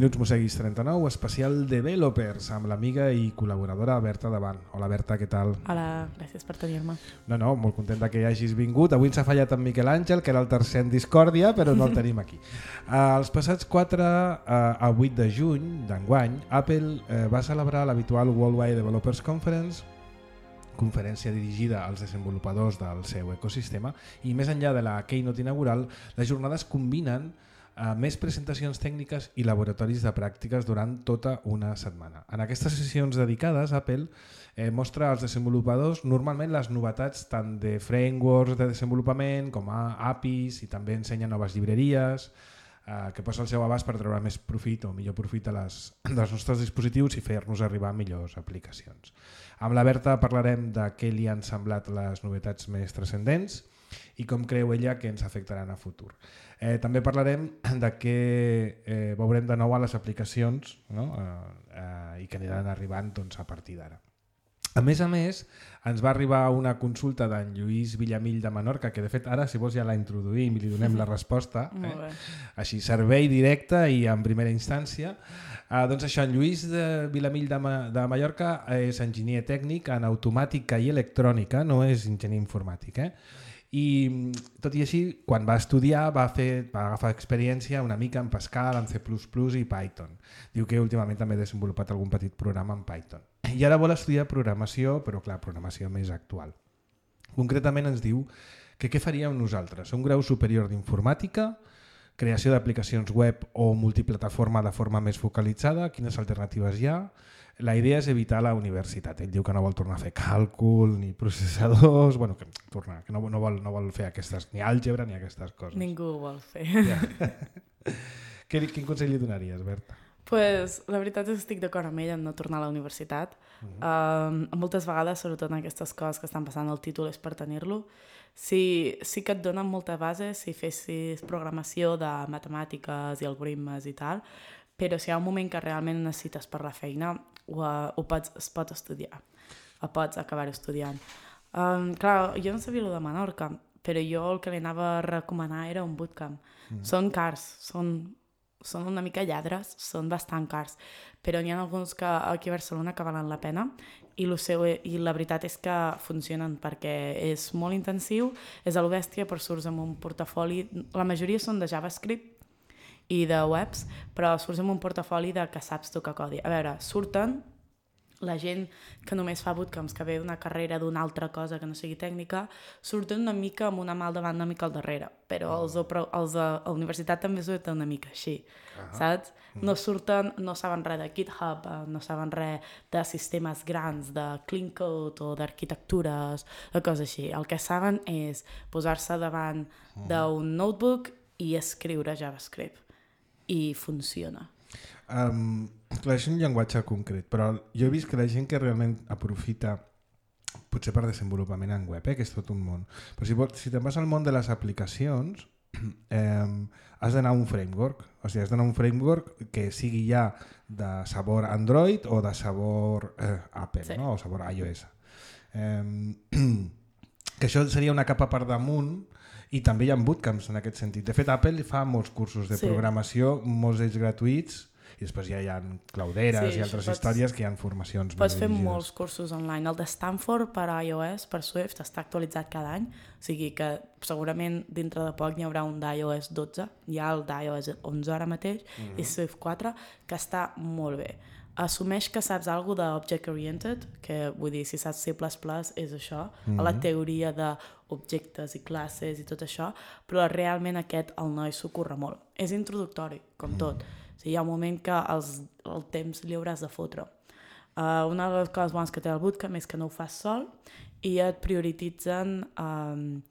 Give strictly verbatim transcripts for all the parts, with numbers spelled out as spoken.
Minuts Mosseguis trenta-nou, especial Developers, amb l'amiga i col·laboradora Berta Davant. Hola Berta, què tal? Hola, gràcies per tenir-me. No, no, molt contenta que hi hagis vingut. Avui ens ha fallat en Miquel Àngel, que era el tercer en discòrdia, però no el tenim aquí. Uh, els passats quatre uh, a vuit de juny d'enguany, Apple uh, va celebrar l'habitual Worldwide Developers Conference, conferència dirigida als desenvolupadors del seu ecosistema, i més enllà de la keynote inaugural, les jornades combinen uh, més presentacions tècniques i laboratoris de pràctiques durant tota una setmana. En aquestes sessions dedicades, Apple eh, mostra als desenvolupadors normalment les novetats tant de frameworks de desenvolupament com a A P Is, i també ensenya noves llibreries eh, que posa el seu abast per treure més profit o millor profit a les, dels nostres dispositius i fer-nos arribar a millors aplicacions. Amb la Berta parlarem de què li han semblat les novetats més transcendents i com creu ella que ens afectaran a futur. Eh, també parlarem de què eh, veurem de nou a les aplicacions, no? eh, eh, i que aniran arribant doncs, a partir d'ara. A més a més, ens va arribar una consulta d'en Lluís Villamil de Menorca, que de fet ara, si vols, ja la introduïm i li donem la resposta. Eh? Així, servei directe i en primera instància. Uh, doncs això, en Lluís de Villamil de, Ma de Mallorca és enginyer tècnic en automàtica i electrònica, no és enginyer informàtic. Eh? I tot i així, quan va estudiar va, fer, va agafar experiència una mica en Pascal, en C plus plus i Python. Diu que últimament també ha desenvolupat algun petit programa en Python. I ara vol estudiar programació, però clar, programació més actual. Concretament ens diu que què faríem nosaltres? Un grau superior d'informàtica, creació d'aplicacions web o multiplataforma de forma més focalitzada, quines alternatives hi ha? La idea és evitar la universitat. Ell diu que no vol tornar a fer càlcul ni processadors, bueno, que, tornar, que no, no, vol, no vol fer aquestes, ni àlgebra ni aquestes coses. Ningú ho vol fer. Ja. Què, quin consell li donaries, Berta? Pues, la veritat és que estic d'acord amb ell en no tornar a la universitat. Uh-huh. uh, moltes vegades, sobretot en aquestes coses que estan passant, el títol és per tenir-lo. Sí, sí que et donen molta base si fessis programació de matemàtiques i algoritmes i tal, però si hi ha un moment que realment necessites per la feina, ho, ho pots, es pot estudiar, o pots acabar estudiant. Um, clar, jo no sabia el de Menorca, però jo el que li anava a recomanar era un bootcamp. Mm. Són cars, són, són una mica lladres, són bastant cars, però n'hi ha alguns que aquí a Barcelona que valen la pena, i, lo seu, i la veritat és que funcionen perquè és molt intensiu, és a lo bèstia, però surts amb un portafoli, la majoria són de JavaScript i de webs, però surts amb un portafoli de que saps tocar codi. A veure, surten la gent que només fa bootcamps, que ve d'una carrera d'una altra cosa que no sigui tècnica, surten una mica amb una mà al davant, una mica al darrere, però els, els de la universitat també surten una mica així, uh-huh. saps? No surten, no saben res de GitHub, no saben res de sistemes grans, de clean code o d'arquitectures, o coses així. El que saben és posar-se davant d'un notebook i escriure JavaScript. I funciona. Um, clar, és un llenguatge concret, però jo he vist que la gent que realment aprofita, potser per desenvolupament en web, eh, que és tot un món, però si, si te'n vas al món de les aplicacions, eh, has d'anar a un framework, o sigui, has d'anar a un framework que sigui ja de sabor Android o de sabor eh, Apple, sí. no? O sabor iOS. Eh, que això seria una capa per damunt. I també hi ha bootcamps en aquest sentit. De fet, Apple fa molts cursos de sí. programació, molts d'ells gratuïts, i després ja hi ha clauderes sí, i altres pots, històries que hi ha formacions. Pots fer molts cursos online. El de Stanford per a iOS, per Swift, està actualitzat cada any, o sigui que segurament dintre de poc hi haurà un d'iOS dotze, hi ha el d'iOS onze ara mateix, mm-hmm. i Swift quatre, que està molt bé. Assumeix que saps alguna cosa d'Object Oriented, que vull dir, si saps C plus plus és això, mm-hmm. la teoria d'objectes i classes i tot això, però realment aquest el noi s'ho curra molt. És introductori, com mm-hmm. tot. O sigui, hi ha un moment que els, el temps li hauràs de fotre. Uh, una de les coses bones que té el bootcamp és que no ho fas sol i et prioritzen um,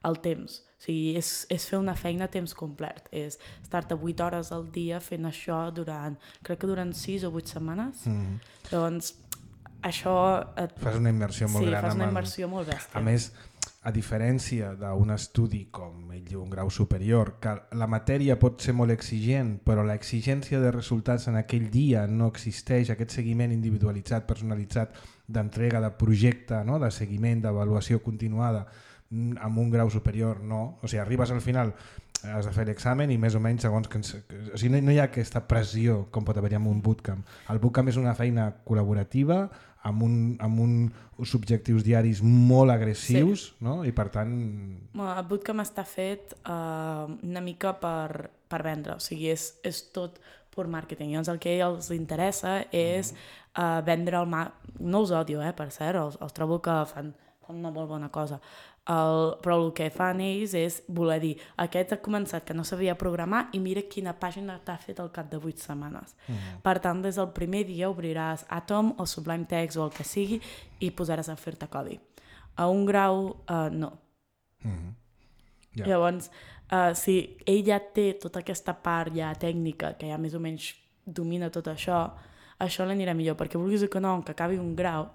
el temps. O sigui, és, és fer una feina a temps complet. És estar-te vuit hores al dia fent això durant, crec que durant sis o vuit setmanes. Mm. Llavors, això... Et... Fas una immersió molt sí, gran. Sí, fas una el... immersió molt bèstia. A més, a diferència d'un estudi com ell diu, un grau superior, que la matèria pot ser molt exigent, però l'exigència de resultats en aquell dia no existeix, aquest seguiment individualitzat, personalitzat, d'entrega de projecte, no? De seguiment, d'avaluació continuada, amb un grau superior no, o sigui, arribes al final has de fer l'examen i més o menys segons que... Ens, o sigui, no, no hi ha aquesta pressió com pot haver-hi en un bootcamp. El bootcamp és una feina col·laborativa amb, un, amb un, uns objectius diaris molt agressius, sí. No? I per tant... El bootcamp està fet uh, una mica per, per vendre, o sigui, és, és tot per màrqueting. Llavors el que els interessa és uh, vendre el... Ma... No els odio, eh, per cert, els, els trobo que fan, fan una molt bona cosa. El, però el que fan ells és voler dir aquest ha començat que no sabia programar i mira quina pàgina t'ha fet al cap de vuit setmanes. Mm-hmm. Per tant, des del primer dia obriràs Atom o Sublime Text o el que sigui i posaràs a fer-te codi. A un grau, uh, no. Mm-hmm. Yeah. Llavors, uh, si ell ja té tota aquesta part ja tècnica que ja més o menys domina tot això, això l'anirà millor, perquè vulguis que no, que acabi un grau,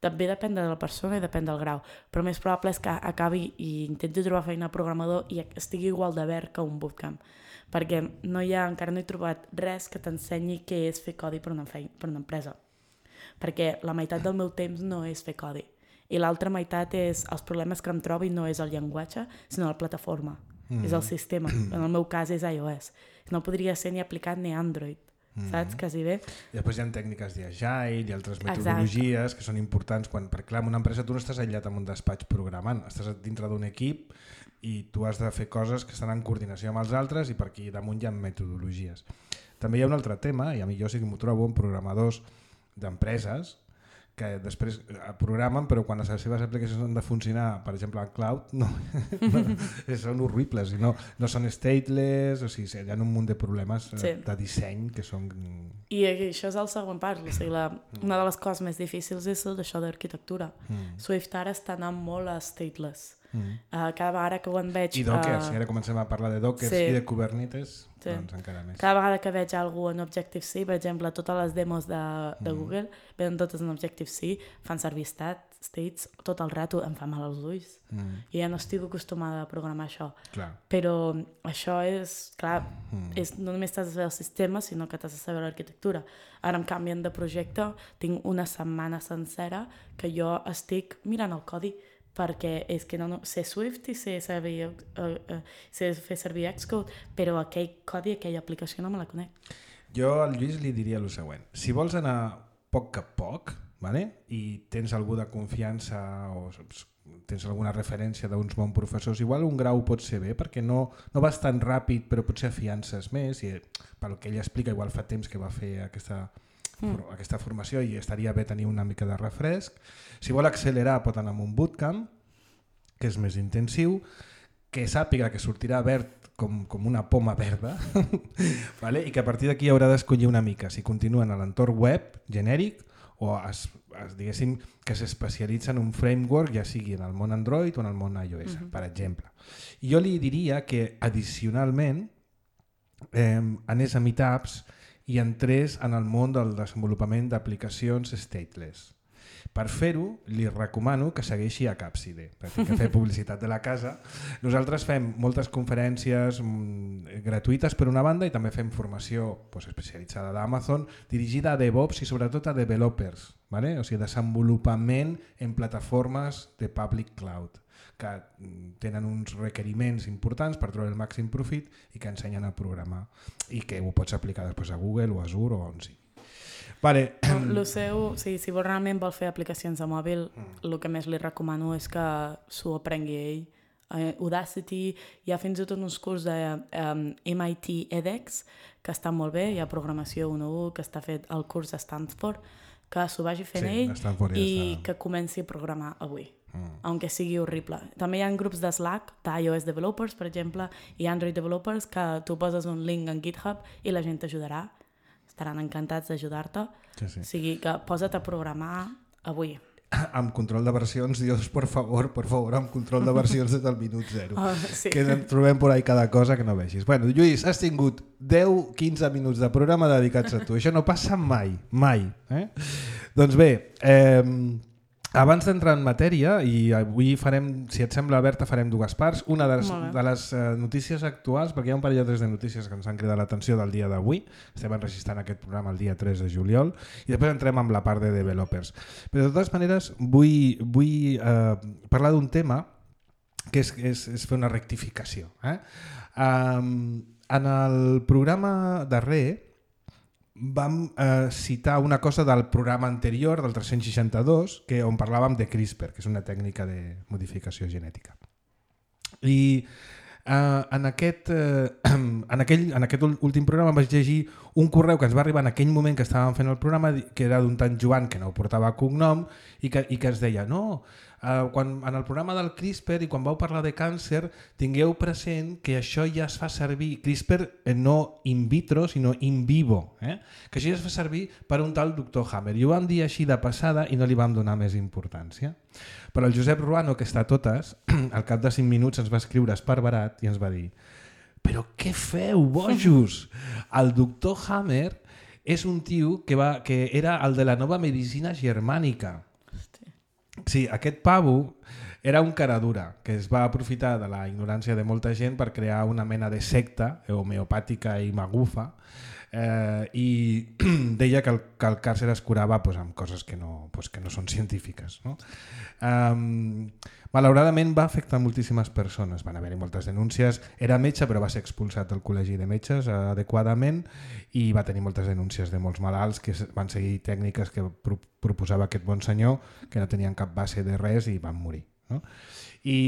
també depèn de la persona i depèn del grau, però més probable és que acabi i intenti trobar feina programador i estigui igual de verd que un bootcamp, perquè no hi ha, encara no he trobat res que t'ensenyi què és fer codi per una, feina, per una empresa, perquè la meitat del meu temps no és fer codi i l'altra meitat és els problemes que em trobo i no és el llenguatge, sinó la plataforma, mm. és el sistema, en el meu cas és iOS, no podria ser ni aplicat ni Android. Mm-hmm. Saps? Quasi bé. I després hi ha tècniques d'agile i altres metodologies Exacte. Que són importants quan, perquè clar, en una empresa tu no estàs aïllat en un despatx programant, estàs dintre d'un equip i tu has de fer coses que estan en coordinació amb els altres i per aquí damunt hi ha metodologies. També hi ha un altre tema, i a mi jo sí que m'ho trobo en programadors d'empreses que després programen però quan les seves aplicacions han de funcionar, per exemple en cloud, no, no són horribles i no, no són stateless, o sigui, hi ha un munt de problemes sí. de disseny que són... I això és el següent part, o sigui, la, una de les coses més difícils és això d'arquitectura. Mm. Swift ara està anant molt a stateless. Mm. Uh, cada vegada que ho en veig... I Docker, uh... si ara comencem a parlar de Docker sí. i de Kubernetes, sí. doncs encara més. Cada vegada que veig algú en Objective-C, per exemple, totes les demos de, de mm. Google, venen totes en Objective-C, fan servir stat, states, tot el rato em fa mal als ulls. Mm. I ja no estic acostumada a programar això. Clar. Però això és, clar, mm. és, no només t'has de saber el sistema, sinó que t'has de saber l'arquitectura. Ara em canvien de projecte, tinc una setmana sencera que jo estic mirant el codi, perquè és que no, no sé Swift i sé, servir, uh, uh, sé fer servir Xcode, però aquell codi, aquella aplicació no me la conec. Jo al Lluís li diria el següent. Si vols anar poc a poc, vale? I tens algú de confiança o tens alguna referència d'uns bons professors, igual un grau pot ser bé, perquè no, no vas tan ràpid, però potser afiances més, i pel que ell explica, igual fa temps que va fer aquesta... Mm. aquesta formació i estaria bé tenir una mica de refresc. Si vol accelerar pot anar amb un bootcamp que és més intensiu, que sàpiga que sortirà verd com, com una poma verda vale? I que a partir d'aquí haurà d'escollir una mica si continua en l'entorn web genèric o es, es, diguéssim que s'especialitza en un framework, ja sigui en el món Android o en el món iOS, mm-hmm. per exemple. I jo li diria que addicionalment eh, anés a meetups i entrés en el món del desenvolupament d'aplicacions stateless. Per fer-ho, li recomano que segueixi a Capside, perquè que fer publicitat de la casa. Nosaltres fem moltes conferències mmm, gratuïtes per una banda i també fem formació pues, especialitzada d'Amazon dirigida a DevOps i sobretot a developers, ¿vale? O sigui, desenvolupament en plataformes de public cloud que tenen uns requeriments importants per treure el màxim profit i que ensenyen a programar i que ho pots aplicar després a Google o a Azure o on sigui. Vale. El seu, sí, si vol, realment vol fer aplicacions de mòbil, mm. el que més li recomano és que s'ho aprengui ell. Uh, Udacity, hi ha fins i tot uns curs de um, M I T edX que estan molt bé, hi ha programació u u que està fet el curs de Stanford, que s'ho vagi fent sí, ell ja i està... que comenci a programar avui. Mm. Aunque sigui horrible. També hi ha grups de Slack, d'iOS developers, per exemple, i Android developers, que tu poses un link en GitHub i la gent t'ajudarà. Estaran encantats d'ajudar-te. Sí, sí. O sigui que posa't a programar avui. Amb control de versions, Dios, por favor, por favor, amb control de versions des del minut zero. Oh, sí. Que en trobem por ahí cada cosa que no vegis. Bueno, Lluís, has tingut deu a quinze minuts de programa dedicats a tu. Això no passa mai, mai. Eh? Doncs bé, eh, abans d'entrar en matèria, i avui farem, si et sembla, Berta, farem dues parts. Una de les, de les uh, notícies actuals, perquè hi ha un parell o tres de notícies que ens han cridat l'atenció del dia d'avui. Estem enregistrant aquest programa el dia tres de juliol i després entrem amb la part de developers. Però de totes maneres vull, vull uh, parlar d'un tema que és, és, és fer una rectificació. Eh? Um, en el programa darrer vam eh, citar una cosa del programa anterior, del tres-cents seixanta-dos, que on parlàvem de CRISPR, que és una tècnica de modificació genètica. I Uh, en, aquest, uh, en, aquell, en aquest últim programa vaig llegir un correu que ens va arribar en aquell moment que estàvem fent el programa, que era d'un tant Joan que no portava cognom i que, i que ens deia no, uh, quan, en el programa del CRISPR i quan vau parlar de càncer tingueu present que això ja es fa servir CRISPR eh, no in vitro sinó in vivo, eh? que això ja es fa servir per un tal doctor Hammer i ho vam dir així de passada i no li vam donar més importància. Però el Josep Ruano, que està a totes, al cap de cinc minuts ens va escriure esparverat i ens va dir però què feu, bojos? El doctor Hammer és un tio que, va, que era el de la nova medicina germànica. Hosti. Sí, aquest pavo era un caradura que es va aprofitar de la ignorància de molta gent per crear una mena de secta homeopàtica i magufa eh, i deia que el, que el càncer es curava pues, amb coses que no, pues, que no són científiques. No? Um, malauradament va afectar moltíssimes persones, van haver-hi moltes denúncies, era metge però va ser expulsat del col·legi de metges eh, adequadament i va tenir moltes denúncies de molts malalts que van seguir tècniques que pro proposava aquest bon senyor que no tenien cap base de res i van morir. No? I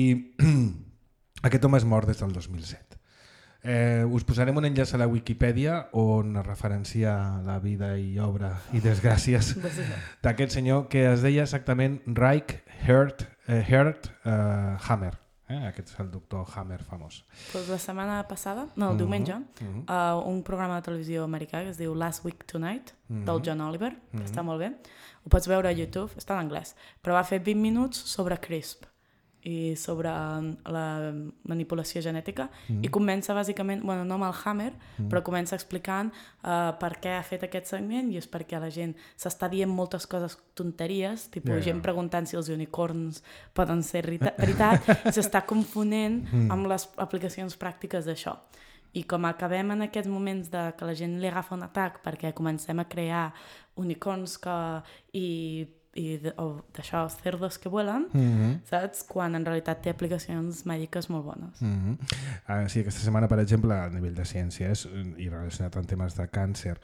aquest home és mort des del dos mil set. Eh, us posarem un enllaç a la Wikipedia on es referencia la vida i obra i desgràcies d'aquest senyor que es deia exactament Reich Hert, eh, Hert eh, Hammer. Eh? Aquest és el doctor Hammer famós. Pues la setmana passada, no, el uh-huh. diumenge, uh-huh. uh, un programa de televisió americà que es diu Last Week Tonight, uh-huh. del John Oliver, que uh-huh. està molt bé. Ho pots veure a YouTube, està en anglès, però va fer vint minuts sobre CRISPR i sobre la manipulació genètica mm. i comença bàsicament, bueno, no amb el Hammer, mm. però comença explicant uh, per què ha fet aquest segment i és perquè la gent s'està dient moltes coses tonteries, tipus yeah, gent yeah. preguntant si els unicorns poden ser veritat i s'està confonent mm. amb les aplicacions pràctiques d'això. I com acabem en aquests moments de que la gent li agafa un atac perquè comencem a crear unicorns que, i i d'això, cerdos que vuelen, mm-hmm. saps? Quan en realitat té aplicacions mèdiques molt bones. Mm-hmm. uh, sí, aquesta setmana, per exemple, a nivell de ciències i relacionat amb temes de càncer,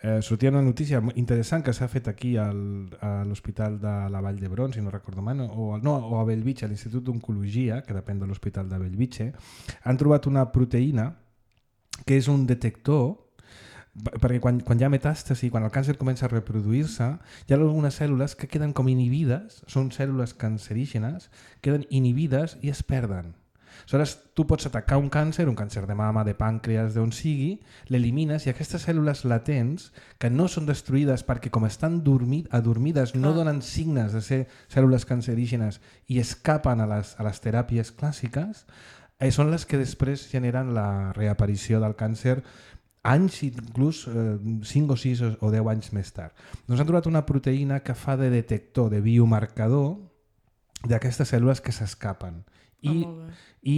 eh, sortia una notícia interessant que s'ha fet aquí al, a l'Hospital de la Vall d'Hebron, si no recordo mal, o, no, o a Bellvitge, a l'Institut d'Oncologia, que depèn de l'Hospital de Bellvitge, han trobat una proteïna que és un detector perquè quan, quan hi ha metàstasi, quan el càncer comença a reproduir-se, hi ha algunes cèl·lules que queden com inhibides, són cèl·lules cancerígenes, queden inhibides i es perden. Aleshores, tu pots atacar un càncer, un càncer de mama, de pàncreas, d'on sigui, l'elimines i aquestes cèl·lules latents, que no són destruïdes perquè com estan dormit, adormides, no donen signes de ser cèl·lules cancerígenes i escapen a les, a les teràpies clàssiques, eh, són les que després generen la reaparició del càncer anys, inclús eh, cinc o sis o deu anys més tard. Doncs han trobat una proteïna que fa de detector, de biomarcador d'aquestes cèl·lules que s'escapen i, oh, i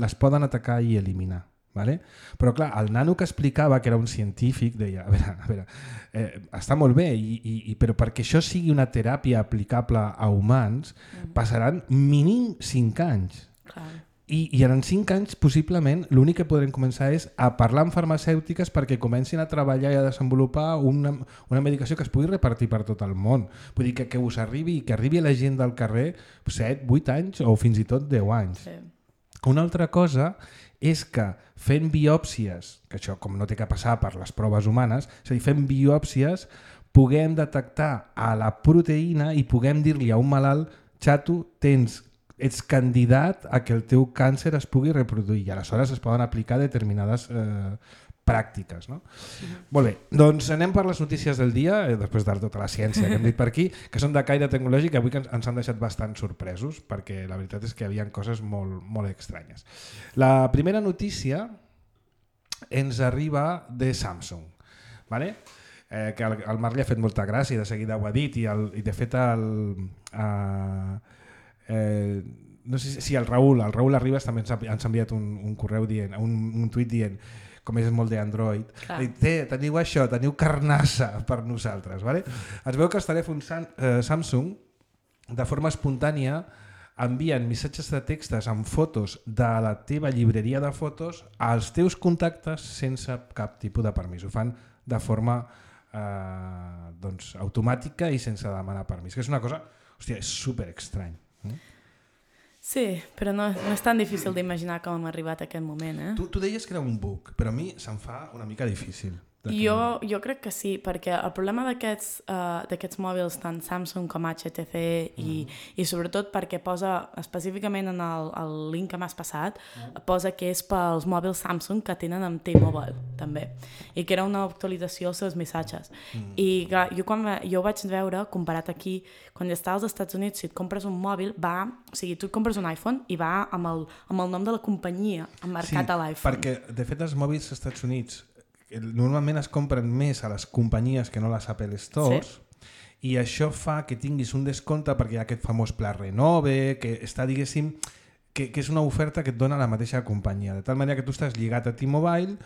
les poden atacar i eliminar. Vale? Però clar, el nano que explicava, que era un científic, deia, a veure, a veure eh, està molt bé, i, i, i, però perquè això sigui una teràpia aplicable a humans, mm. passaran mínim cinc anys. Clar. I, i en cinc anys, possiblement, l'únic que podrem començar és a parlar amb farmacèutiques perquè comencin a treballar i a desenvolupar una, una medicació que es pugui repartir per tot el món. Vull dir que, que us arribi, que arribi a la gent del carrer set, vuit anys o fins i tot deu anys. Sí. Una altra cosa és que fent biòpsies, que això com no té que passar per les proves humanes, és a dir, fent biòpsies puguem detectar a la proteïna i puguem dir-li a un malalt, xato, tens ets candidat a que el teu càncer es pugui reproduir i aleshores es poden aplicar determinades eh, pràctiques. No? Mm-hmm. Molt bé, doncs anem per les notícies del dia, eh, després de tota la ciència que hem dit per aquí, que són de caire tecnològic i avui ens, ens han deixat bastant sorpresos perquè la veritat és que hi havia coses molt, molt estranyes. La primera notícia ens arriba de Samsung. Vale? Eh, que el, el Marc li ha fet molta gràcia i de seguida ho ha dit i, el, i de fet el... Eh, Eh, no sé si el Raül, el Raül Arribas també ens ha, ens ha enviat un, un correu dient, un, un tuit dient, com és molt d'Android, teniu això, teniu carnassa per nosaltres. Vale? Es veu que els telèfons eh, Samsung de forma espontània envien missatges de textes amb fotos de la teva llibreria de fotos als teus contactes sense cap tipus de permís. Ho fan de forma eh, doncs, automàtica i sense demanar permís, que és una cosa, hòstia, és super estrany. Eh? Sí, però no, no és tan difícil d'imaginar com hem arribat a aquest moment. Eh? Tu, tu deies que era un bug, però a mi se'm fa una mica difícil. Jo, jo crec que sí, perquè el problema d'aquests uh, d'aquests mòbils, tant Samsung com H T C, i, mm. i sobretot perquè posa, específicament en el, el link que m'has passat, mm. posa que és pels mòbils Samsung que tenen amb T-Mobile, també, i que era una actualització als seus missatges. Mm. I clar, jo, quan, jo ho vaig veure, comparat aquí, quan estàs als Estats Units, si et compres un mòbil, va, o sigui, tu et compres un iPhone i va amb el, amb el nom de la companyia emmarcat sí, a l'iPhone. Perquè, de fet, els mòbils als Estats Units normalment es compren més a les companyies que no a les Apple Stores, sí. I això fa que tinguis un descompte perquè hi ha aquest famós pla Renove, que està, diguéssim, que, que és una oferta que et dona la mateixa companyia, de tal manera que tu estàs lligat a T-Mobile,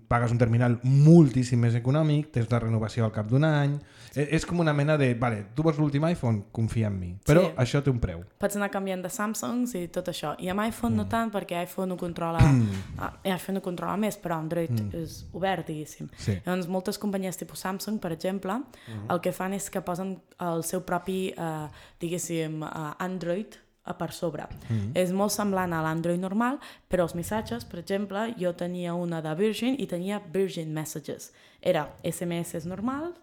pagues un terminal moltíssim més econòmic, tens la renovació al cap d'un any, és com una mena de, vale, tu vols l'últim iPhone, confia en mi, però sí. Això té un preu. Pots anar canviant de Samsungs i tot això, i amb iPhone mm. no tant, perquè iPhone ho controla, mm. iPhone ho controla més, però Android mm. és obert, diguéssim. Sí. Llavors, moltes companyies tipus Samsung, per exemple, mm. el que fan és que posen el seu propi, uh, diguéssim, uh, Android per sobre. Mm-hmm. És molt semblant a l'Android normal, però els missatges, per exemple, jo tenia una de Virgin i tenia Virgin Messages. Era S M S normals,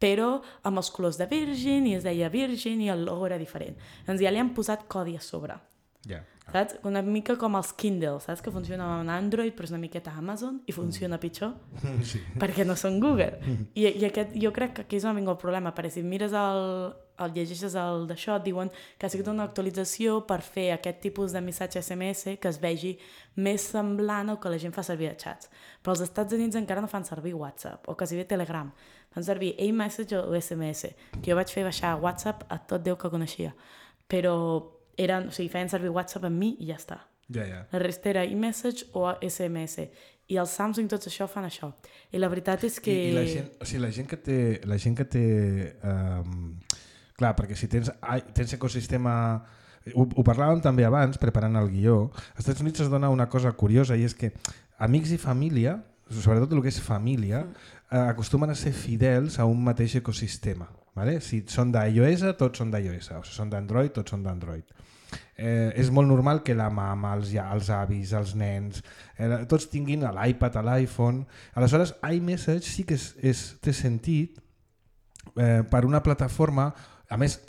però amb els colors de Virgin, i es deia Virgin i el logo era diferent. Doncs ja li han posat codi a sobre. Yeah. Saps? Una mica com els Kindle, saps? Que funciona amb Android, però és una miqueta Amazon i funciona pitjor, sí. Perquè no són Google. I, i aquest, jo crec que aquí és on vingut el problema, perquè si mires el, el llegeixes el d'això, et diuen que ha sigut una actualització per fer aquest tipus de missatge S M S que es vegi més semblant al que la gent fa servir a xats. Però els Estats Units encara no fan servir WhatsApp, o quasi bé Telegram. Fan servir iMessage o S M S, que jo vaig fer baixar WhatsApp a tot Déu que coneixia. Però eren, o sigui, feien servir WhatsApp amb mi i ja està. Yeah, yeah. La resta era iMessage o S M S. I els Samsung tots això fan això. I la veritat és que... I, i la, gent, o sigui, la gent que té... La gent que té um, clar, perquè si tens, tens ecosistema... Ho, ho parlàvem també abans, preparant el guió. Als Estats Units es dona una cosa curiosa, i és que amics i família, sobretot el que és família, eh, acostumen a ser fidels a un mateix ecosistema. Vale? Si són d'iOS, tots són d'iOS. O si són d'Android, tots són d'Android. Eh, és molt normal que la mama, els, els avis, els nens, eh, tots tinguin l'iPad, l'iPhone. Aleshores, iMessage sí que és, és, té sentit eh, per una plataforma. A més,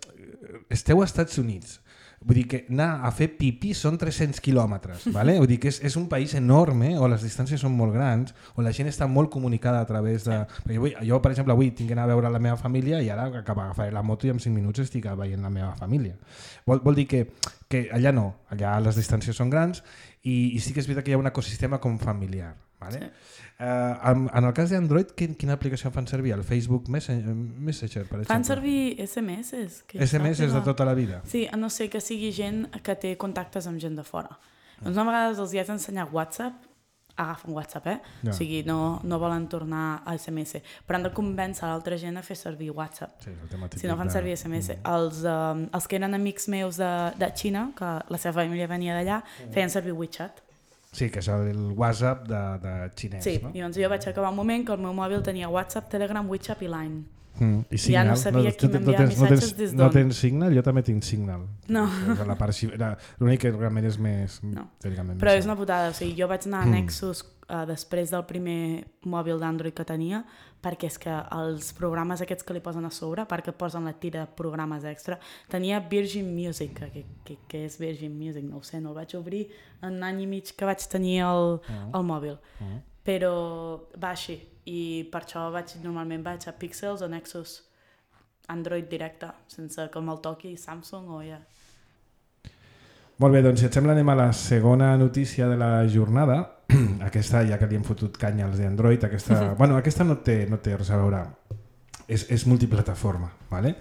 esteu als Estats Units. Vull dir que anar a fer pipí són tres-cents quilòmetres, ¿vale? Vull dir que és, és un país enorme, on les distàncies són molt grans, on la gent està molt comunicada a través de... Perquè vull, jo, per exemple, avui tinc d'anar a veure la meva família i ara agafaré la moto i en cinc minuts estic veient la meva família. Vol, vol dir que, que allà no, allà les distàncies són grans i, i sí que és veritat que hi ha un ecosistema com familiar. ¿Vale? Sí. Uh, en, en el cas d'Android, quin, quina aplicació fan servir? El Facebook Messenger, Messenger per exemple? Fan servir S M S. S M S de tota la vida? Sí, a no ser que sigui gent que té contactes amb gent de fora. Mm. Doncs a vegades els hi has d'ensenyar WhatsApp, agafen WhatsApp, eh? Ja. O sigui, no, no volen tornar a S M S, però han de convèncer l'altra gent a fer servir WhatsApp. Sí, si no fan servir S M S. Mm. Els, um, els que eren amics meus de, de Xina, que la seva família venia d'allà, mm. feien servir WeChat. Sí, que és el WhatsApp de, de xinès, sí, no? Sí, i doncs jo vaig acabar un moment que el meu mòbil tenia WhatsApp, Telegram, WeChat i Line. Mm. I Signal? Ja no sabia no, qui m'enviava no missatges no des d'on. No tens Signal? Jo també tinc Signal. No. L'únic que realment és més... No. Però és una putada. O sigui, jo vaig anar a Nexus uh, després del primer mòbil d'Android que tenia, perquè és que els programes aquests que li posen a sobre, perquè posen la tira de programes extra, tenia Virgin Music, que, que, que és Virgin Music, no ho sé, no el vaig obrir en un any i mig que vaig tenir el, uh-huh. el mòbil. Uh-huh. Però va així, i per això vaig, normalment vaig a Pixels o Nexus, Android directe, sense que me'l toqui Samsung o ja. Molt bé, doncs si et sembla anem a la segona notícia de la jornada. Aquesta, ja que li hem fotut canya als d'Android, aquesta, bueno, aquesta no té, no té res a veure, és, és multiplataforma. ¿Vale?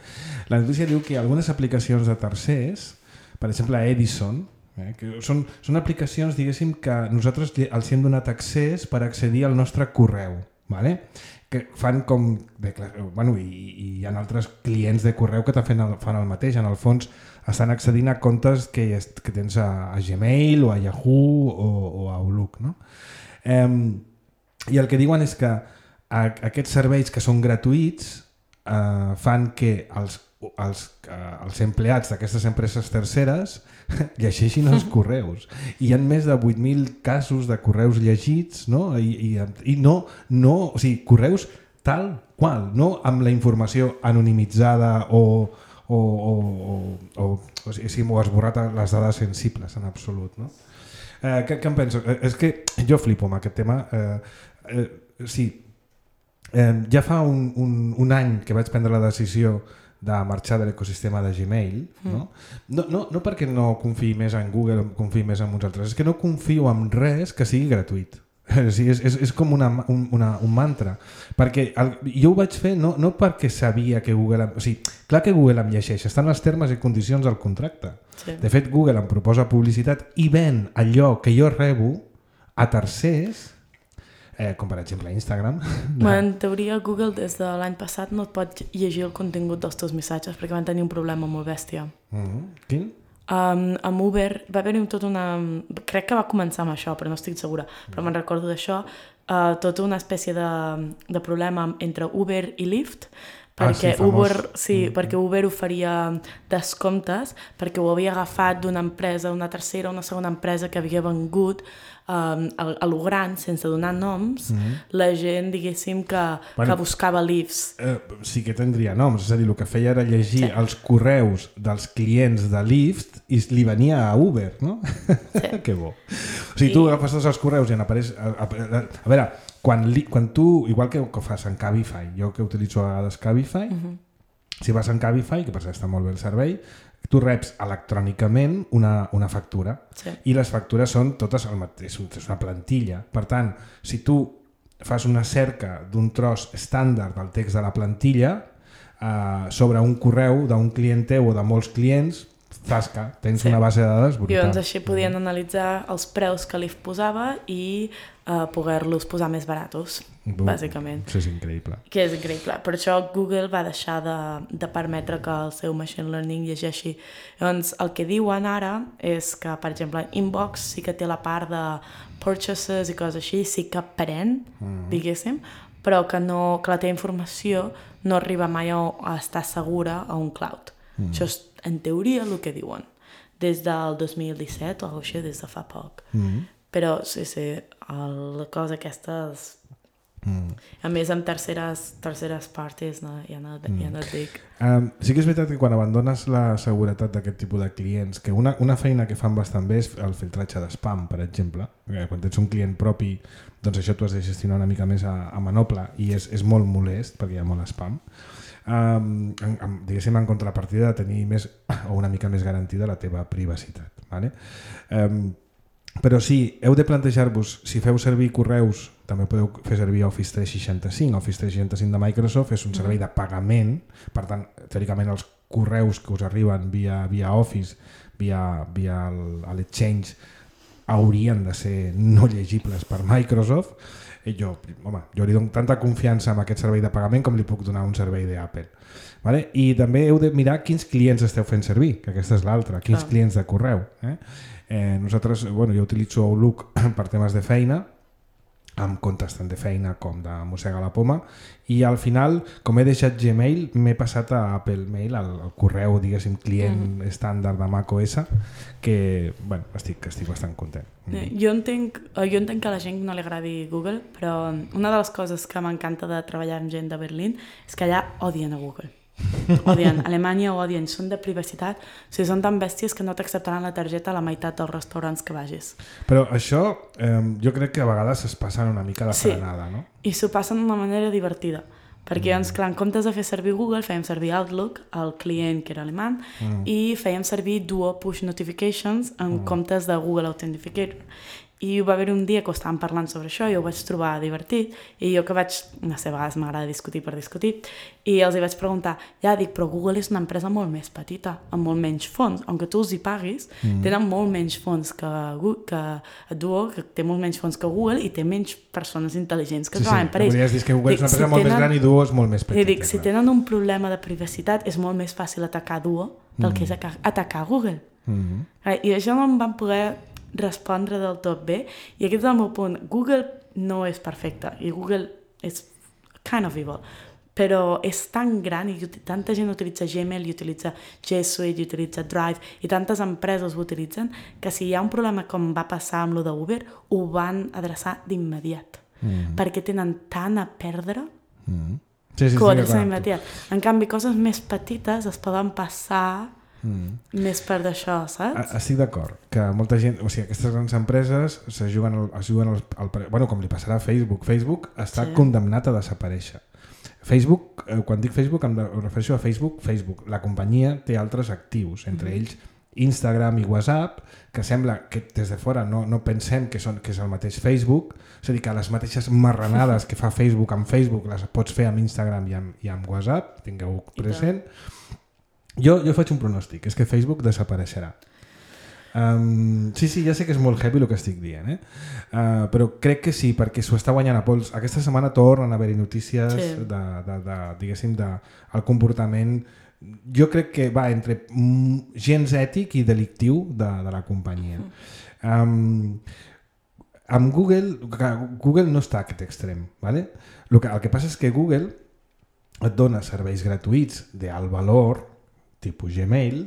La notícia diu que algunes aplicacions de tercers, per exemple Edison, eh, que són, són aplicacions, diguéssim, que nosaltres els hem donat accés per accedir al nostre correu. ¿Vale? que fan com... Bé, clar, bueno, i, i hi ha altres clients de correu que fan el, fan el mateix. En el fons estan accedint a comptes que, que tens a, a Gmail o a Yahoo o, o a Outlook. No? Eh, I el que diuen és que a, aquests serveis que són gratuïts eh, fan que els, els, eh, els empleats d'aquestes empreses terceres llegeixin els correus. I hi ha més de vuit mil casos de correus llegits, no? I, i, i no, no, o sigui, correus tal qual, no amb la informació anonimitzada o, o, o, o, o, o sigui, m'ho has esborrat les dades sensibles en absolut. No? Eh, què, què em penso? Eh, és que jo flipo amb aquest tema. Eh, eh, sí, eh, ja fa un, un, un any que vaig prendre la decisió de marxar de l'ecosistema de Gmail, mm. no? No, no, no perquè no confiï més en Google o confiï més en uns altres, és que no confio en res que sigui gratuït. És, és, és com una, un, una, un mantra. Perquè el, jo ho vaig fer no, no perquè sabia que Google... O sigui, clar que Google em llegeix, estan els termes i condicions del contracte. Sí. De fet, Google em proposa publicitat i ven allò que jo rebo a tercers... Eh, com per exemple Instagram. No. En teoria Google des de l'any passat no et pot llegir el contingut dels teus missatges perquè van tenir un problema molt bèstia. Mm-hmm. Quin? Um, amb Uber va haver-hi tot una... Crec que va començar amb això, però no estic segura. Però me'n recordo d'això. Uh, tota una espècie de, de problema entre Uber i Lyft perquè, ah, sí, Uber, sí, mm-hmm. perquè Uber oferia descomptes perquè ho havia agafat d'una empresa, una tercera, una segona empresa que havia vengut um, a, a lo gran, sense donar noms, mm-hmm. la gent, diguéssim, que, bueno, que buscava Lyfts. Eh, sí que tindria noms, és a dir, el que feia era llegir sí. els correus dels clients de Lyft i li venia a Uber, no? Sí. Que bo. O sigui, I... tu agafes tots els correus i en apareix... A, a, a, a veure, quan, li, quan tu, igual que, que fas en Cabify, jo que utilitzo a vegades Cabify, uh-huh. si vas en Cabify, que per cert està molt bé el servei, tu reps electrònicament una, una factura sí. i les factures són totes el mateix, és una plantilla. Per tant, si tu fas una cerca d'un tros estàndard del text de la plantilla eh, sobre un correu d'un client teu o de molts clients, tasca, tens sí. una base de dades brutal. I doncs així podien analitzar els preus que Lyft posava i uh, poder-los posar més baratos, uh, bàsicament. Això és increïble. Que és increïble. Per això Google va deixar de, de permetre que el seu machine learning llegeixi. Doncs el que diuen ara és que, per exemple, Inbox sí que té la part de purchases i coses així, sí que pren, uh-huh. diguéssim, però que, no, que la teva informació no arriba mai a, a estar segura a un cloud. Uh-huh. Això és en teoria el que diuen des del dos mil disset o així, des de fa poc mm. però sí, sí el, la cosa aquesta és... mm. a més amb terceres terceres parts no, ja, no, mm. ja no et dic um, sí que és veritat que quan abandones la seguretat d'aquest tipus de clients, que una, una feina que fan bastant bé és el filtratge d'espam, per exemple, quan tens un client propi doncs això tu has de gestionar una mica més a, a manople i és, és molt molest perquè hi ha molt spam. Um, en, en, diguéssim en contrapartida de tenir més o una mica més garantida la teva privacitat, vale? Um, però sí, heu de plantejar-vos, si feu servir correus també podeu fer servir Office tres seixanta-cinc. Office tres seixanta-cinc de Microsoft és un servei de pagament, per tant teòricament els correus que us arriben via, via Office, via, via l'Exchange haurien de ser no llegibles per Microsoft. I jo, home, jo li dono tanta confiança en aquest servei de pagament com li puc donar un servei d'Apple. Vale? I també heu de mirar quins clients esteu fent servir, que aquesta és l'altra, quins ah. clients de correu. Eh? Eh, nosaltres, bueno, jo utilitzo Outlook per temes de feina, amb comptes tant de feina com de mossega la poma, i al final, com he deixat Gmail, m'he passat a Apple Mail, al, al correu, diguéssim, client mm. estàndard de macOS, que, bueno, estic, estic bastant content. Mm. Jo entenc, jo entenc que a la gent no li agradi Google, però una de les coses que m'encanta de treballar amb gent de Berlín és que allà odien a Google. Odien, Alemanya ho odien, són de privacitat, o sigui, són tan bèsties que no t'acceptaran la targeta a la meitat dels restaurants que vagis. Però això eh, jo crec que a vegades es passen una mica de frenada, sí, no? I s'ho passen d'una manera divertida, perquè mm. doncs, clar, en comptes de fer servir Google fèiem servir Outlook, el client que era alemany, mm. i fèiem servir Duo Push Notifications en mm. comptes de Google Authenticator. I va haver un dia que estàvem parlant sobre això i ho vaig trobar divertit i jo que vaig, no sé, a vegades m'agrada discutir per discutir i els hi vaig preguntar, ja dic, però Google és una empresa molt més petita, amb molt menys fons, aunque tu els hi paguis, mm. tenen molt menys fons que, que Duo, que té molt menys fons que Google i té menys persones intel·ligents que sí, treballen sí. per ells. Podries dir que Google dic, és una empresa si molt tenen, més gran i Duo és molt més petita. I dic, si tenen un problema de privacitat és molt més fàcil atacar Duo del mm. que és atacar Google. Mm. I això no em van poder respondre del tot bé i aquest és el meu punt. Google no és perfecte i Google és kind of evil, però és tan gran i tanta gent utilitza Gmail i utilitza G Suite i utilitza Drive i tantes empreses ho utilitzen que si hi ha un problema com va passar amb lo d'Uber ho van adreçar d'immediat mm. perquè tenen tant a perdre mm. sí, sí, que ho adrecen d'immediat. En canvi, coses més petites es poden passar Mm. més per d'això, saps? Estic d'acord, que molta gent, o sigui, aquestes grans empreses se juguen, el, es juguen el, el, bueno, com li passarà a Facebook. Facebook està sí. condemnat a desaparèixer. Facebook, eh, quan dic Facebook em refereixo a Facebook, Facebook, la companyia té altres actius, entre mm. ells Instagram i WhatsApp, que sembla que des de fora no, no pensem que, són, que és el mateix Facebook, és a dir, que les mateixes marranades que fa Facebook amb Facebook les pots fer amb Instagram i amb, i amb WhatsApp, tingueu present. Jo, jo faig un pronòstic, és que Facebook desapareixerà. Um, sí, sí, ja sé que és molt heavy el que estic dient, eh? Uh, però crec que sí, perquè s'ho està guanyant a pols. Aquesta setmana tornen a haver-hi notícies sí. de, de, de, diguéssim, de, el comportament, jo crec que va entre gens ètic i delictiu de, de la companyia. Um, amb Google, Google no està a aquest extrem, ¿vale? El que, el que passa és que Google et dona serveis gratuïts d'alt valor, tipus Gmail,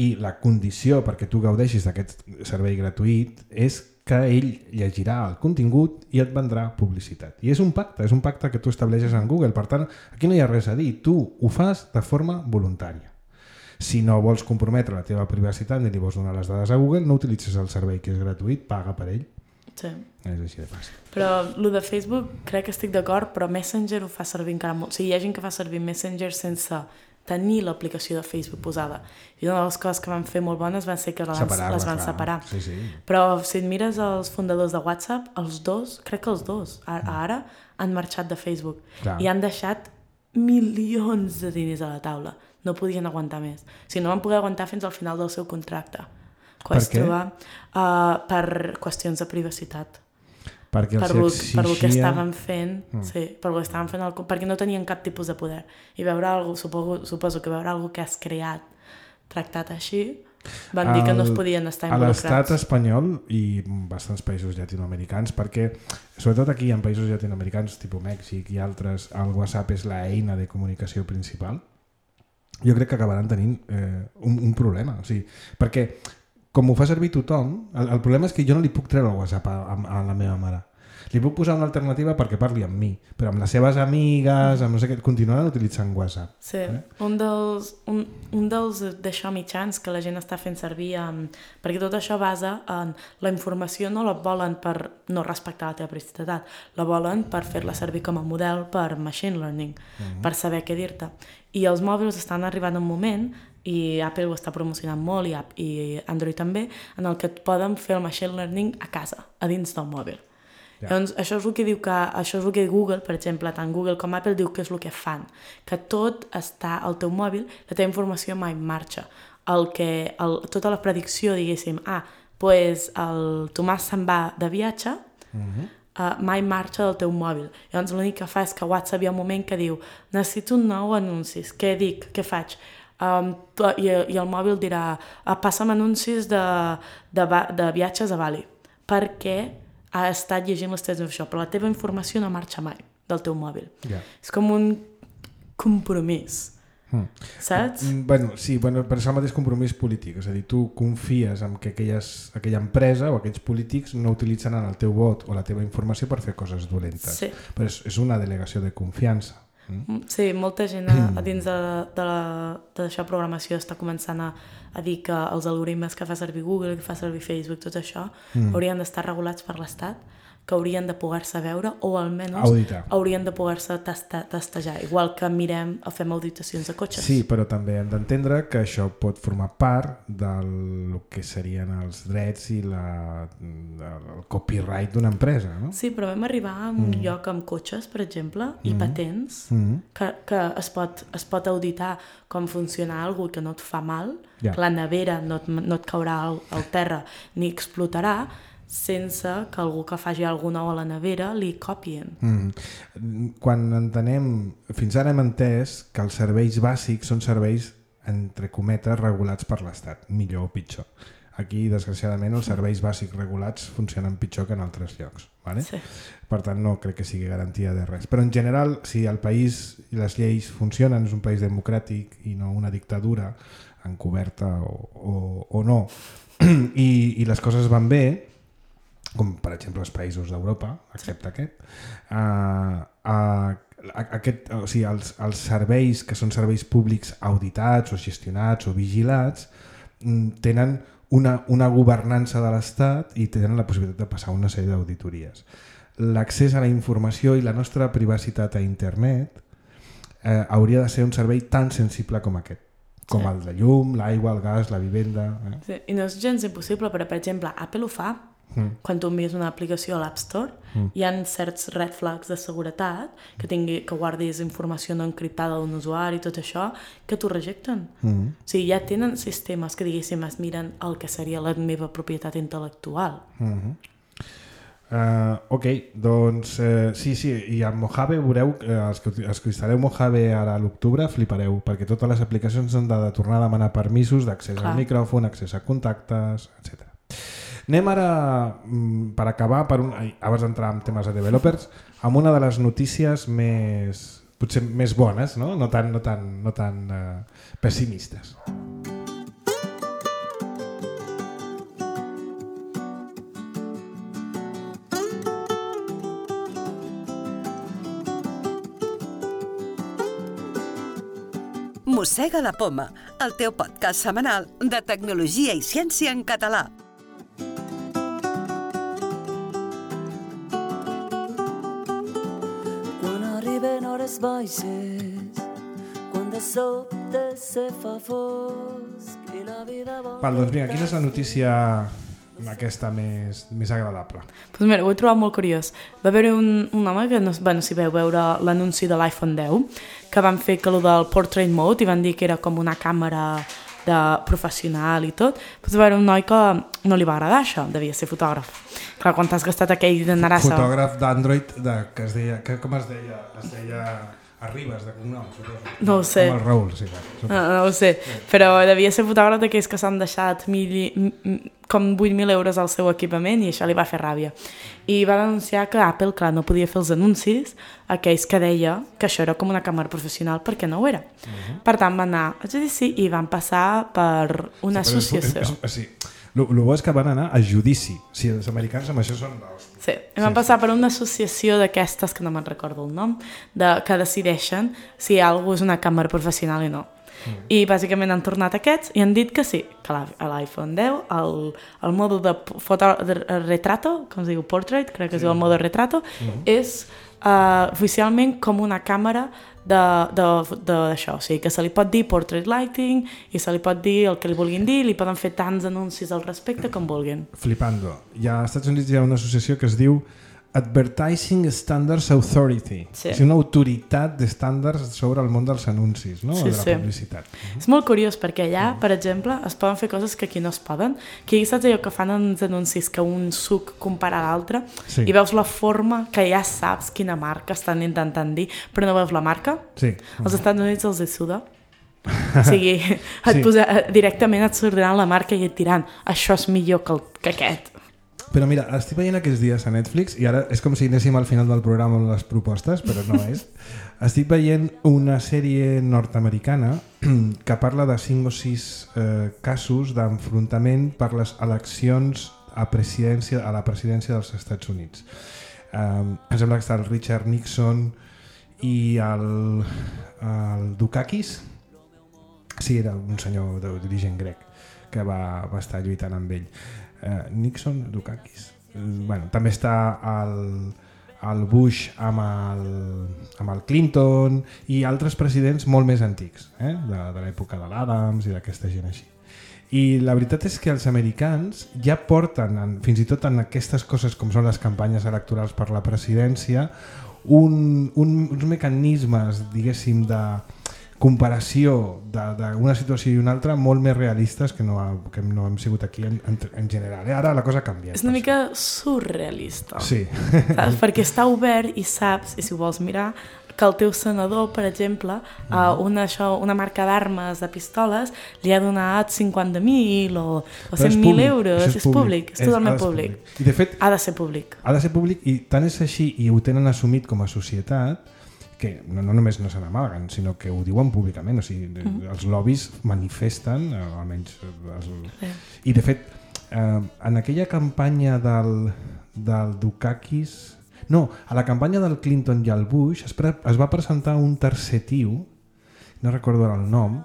i la condició perquè tu gaudeixis d'aquest servei gratuït és que ell llegirà el contingut i et vendrà publicitat. I és un pacte, és un pacte que tu estableixes en Google. Per tant, aquí no hi ha res a dir. Tu ho fas de forma voluntària. Si no vols comprometre la teva privacitat ni li vols donar les dades a Google, no utilitzes el servei que és gratuït, paga per ell. Sí. És així de fàcil. Però el de Facebook crec que estic d'acord, però Messenger ho fa servir encara molt. O sigui, hi ha gent que fa servir Messenger sense tenir l'aplicació de Facebook posada. I una de les coses que van fer molt bones van ser que les, les van separar. Sí, sí. Però si et mires els fundadors de WhatsApp, els dos, crec que els dos, ara, ara han marxat de Facebook. Clar. I han deixat milions de diners a la taula. No podien aguantar més. O sigui, no van poder aguantar fins al final del seu contracte. Per què? Trobar, uh, per qüestions de privacitat. Perquè per, els lo, exigien... per lo que estaven fent, mm. sí, per lo que estaven fent el, perquè no tenien cap tipus de poder. I veure algo, suposo, suposo que veure algo que has creat tractat així, van dir el, que no es podien estar involucrats. A l'estat espanyol i bastants països llatinoamericans, perquè sobretot aquí en països llatinoamericans, tipus Mèxic i altres, el WhatsApp és l'eina de comunicació principal, jo crec que acabaran tenint eh, un, un problema. O sigui, perquè com ho fa servir tothom, el, el problema és que jo no li puc treure el WhatsApp a, a, a la meva mare. Li puc posar una alternativa perquè parli amb mi, però amb les seves amigues, amb no sé què, continuaran utilitzant WhatsApp. Sí, eh? un dels, un, un dels d'això mitjans que la gent està fent servir, um, perquè tot això basa en la informació, no la volen per no respectar la teva privacitat, la volen per fer-la servir com a model per machine learning, uh-huh. per saber què dir-te. I els mòbils estan arribant un moment, i Apple ho està promocionant molt i, i Android també, en el que et poden fer el machine learning a casa, a dins del mòbil. Yeah. Llavors, això és el que diu que, això és el que Google, per exemple, tant Google com Apple diu que és el que fan, que tot està al teu mòbil, la teva informació mai marxa. El que, el, tota la predicció, diguéssim, ah, pues el Tomàs se'n va de viatge, uh-huh. uh, mai marxa del teu mòbil. Llavors l'únic que fa és que WhatsApp hi ha un moment que diu necessito un nou anuncis, què dic, què faig? Um, i, i el mòbil dirà ah, passa'm anuncis de, de, de viatges a Bali, perquè ha estat llegint les teves informacions, però la teva informació no marxa mai del teu mòbil. Yeah. És com un compromís, mm. saps? Bueno, sí, bueno, per això el mateix compromís polític, és a dir, tu confies en que aquelles, aquella empresa o aquells polítics no utilitzaran el teu vot o la teva informació per fer coses dolentes. Sí. Però és, és una delegació de confiança. Mm? Sí, molta gent a, a dins de, de, de això programació està començant a, a dir que els algoritmes que fa servir Google, que fa servir Facebook, tot això, mm. haurien d'estar regulats per l'Estat, que haurien de poder-se veure o almenys auditar. Haurien de poder-se tasta, tastejar, igual que mirem o fem auditacions de cotxes. Sí, però també hem d'entendre que això pot formar part del que serien els drets i la, el copyright d'una empresa, no? Sí, però vam arribar a un mm. lloc amb cotxes, per exemple, i mm. patents, mm. que, que es, pot, es pot auditar com funciona alguna que no et fa mal, yeah. que la nevera no et, no et caurà al, al terra ni explotarà, sense que algú que faci alguna o a la nevera li copien. Mm. Quan entenem, fins ara hem entès que els serveis bàsics són serveis, entre cometes, regulats per l'Estat, millor o pitjor. Aquí, desgraciadament, els serveis bàsics regulats funcionen pitjor que en altres llocs. ¿Vale? Sí. Per tant, no crec que sigui garantia de res. Però en general, si el país i les lleis funcionen, és un país democràtic i no una dictadura encoberta o, o, o no, i, i les coses van bé, com per exemple els països d'Europa, excepte aquest, uh, uh, aquest o sigui, els, els serveis que són serveis públics auditats o gestionats o vigilats tenen una, una governança de l'Estat i tenen la possibilitat de passar una sèrie d'auditories. L'accés a la informació i la nostra privacitat a internet eh, hauria de ser un servei tan sensible com aquest, com sí. el de llum, l'aigua, el gas, la vivenda... Eh? Sí. I no és gens impossible, però per exemple Apple ho fa. Mm. Quan tu envies una aplicació a l'App Store mm. hi ha certs red flags de seguretat que, tingui, que guardis informació no encriptada d'un usuari i tot això que t'ho rejecten. Mm. O sigui, ja tenen sistemes que diguéssim es miren el que seria la meva propietat intel·lectual. Mm-hmm. Uh, ok, doncs uh, sí, sí, i amb Mojave veureu, uh, els, que, els que instal·leu Mojave ara a l'octubre flipareu, perquè totes les aplicacions han de, de tornar a demanar permisos d'accés al micròfon, accés a contactes, etcètera. Anem ara, per acabar, per un, abans d'entrar en temes de developers, amb una de les notícies més, potser més bones, no, no tan, no tan, no tan uh, pessimistes. Mossega la Poma, el teu podcast setmanal de tecnologia i ciència en català. Baixes, quan de sobte se fa fosc i la vida... Val, doncs vinga, quina és la notícia aquesta més, més agradable? Pues mira, ho he trobat molt curiós. Va haver un, un home que, no, bueno, si veu veure l'anunci de l'iPhone deu, que van fer que lo del Portrait Mode i van dir que era com una càmera de professional i tot, pues va haver un noi que no li va agradar això, devia ser fotògraf. Clar, quan t'has gastat aquell de narassa... Fotògraf d'Android, de, que es deia... Que, com es deia? Es deia Arribas, de cognom, suposo. No ho sé. Com el Raül, sí. No, no ho sé, sí. Però devia ser fotògraf d'aquells que s'han deixat mil, com vuit mil euros al seu equipament i això li va fer ràbia. I va denunciar que Apple, clar, no podia fer els anuncis aquells que deia que això era com una càmera professional perquè no ho era. Uh-huh. Per tant, van anar a judici i van passar per una sí, associació. És, és, és, sí. El bo és que van anar a judici. Sí, els americans amb això són... Sí, i van sí, passar sí. per una associació d'aquestes, que no me'n recordo el nom, de, que decideixen si alguna és una càmera professional i no. Mm. I bàsicament han tornat aquests i han dit que sí, que a l'iPhone deu el, el mode de, foto, de retrato, com es diu, portrait, crec que sí. es diu el mode retrato, mm. és uh, oficialment com una càmera d'això, o sigui que se li pot dir portrait lighting i se li pot dir el que li vulguin dir, li poden fer tants anuncis al respecte com vulguin. Flipando. Ja als Estats Units hi ha una associació que es diu Advertising Standards Authority. Sí. És una autoritat d'estàndards sobre el món dels anuncis, no? Sí, de la sí. publicitat. És molt curiós perquè allà, per exemple, es poden fer coses que aquí no es poden. Que saps allò que fan uns anuncis que un suc compara a l'altre sí. i veus la forma que ja saps quina marca estan intentant dir, però no veus la marca? Sí. Als Estats Units els hi suda. O sigui, et sí. posa, directament et sortiran la marca i et diran això és millor que, el, que aquest. Però mira, estic veient aquests dies a Netflix i ara és com si anéssim al final del programa amb les propostes, però no és. Estic veient una sèrie nord-americana que parla de cinc o sis eh, casos d'enfrontament per les eleccions a, presidència, a la presidència dels Estats Units. Um, em sembla que està el Richard Nixon i el, el Dukakis. Sí, era un senyor d'origen grec que va, va estar lluitant amb ell. Uh, Nixon, Dukakis, bueno, també està el, el Bush amb el, amb el Clinton i altres presidents molt més antics, eh? de, de l'època de l'Adams i d'aquesta gent així. I la veritat és que els americans ja porten, en, fins i tot en aquestes coses com són les campanyes electorals per la presidència, un, un, uns mecanismes, diguéssim, de comparació d'una situació i una altra molt més realistes que no, ha, que no hem sigut aquí en, en, en general. Eh? Ara la cosa ha canviat. És una mica surrealista. Sí. Saps? Perquè està obert i saps, i si ho vols mirar, que el teu senador, per exemple, uh, una, això, una marca d'armes, de pistoles, li ha donat cinquanta mil o, o cent mil euros. És, és públic, és totalment és, públic. públic. I de fet, ha de ser públic. Ha de ser públic i tant és així, i ho tenen assumit com a societat, que no, no només no se n'amaguen, sinó que ho diuen públicament. O sigui, mm. els lobbies manifesten, almenys... Els... Sí. I de fet, eh, en aquella campanya del, del Dukakis... No, a la campanya del Clinton i el Bush es, pre es va presentar un tercer tio, no recordo ara el nom,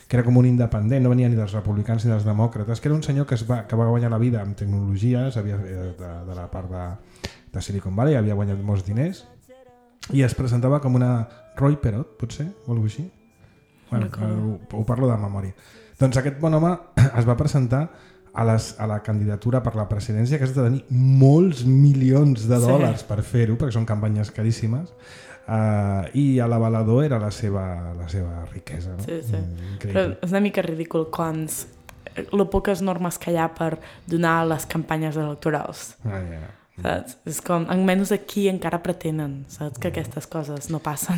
que era com un independent, no venia ni dels republicans ni dels demòcrates, que era un senyor que, es va, que va guanyar la vida amb tecnologies, havia, de, de la part de, de Silicon Valley, havia guanyat molts diners, i es presentava com una Roy Perot, potser, o alguna cosa així? Bueno, ho, ho parlo de memòria. Doncs aquest bon home es va presentar a, les, a la candidatura per la presidència, que has de tenir molts milions de dòlars sí. per fer-ho, perquè són campanyes caríssimes, uh, i a l'avalador era la seva, la seva riquesa. No? Sí, sí. Però és una mica ridícul quan les poques normes que hi ha per donar les campanyes electorals. Ah, yeah. Saps? És com, almenys aquí encara pretenen, saps, que aquestes coses no passen.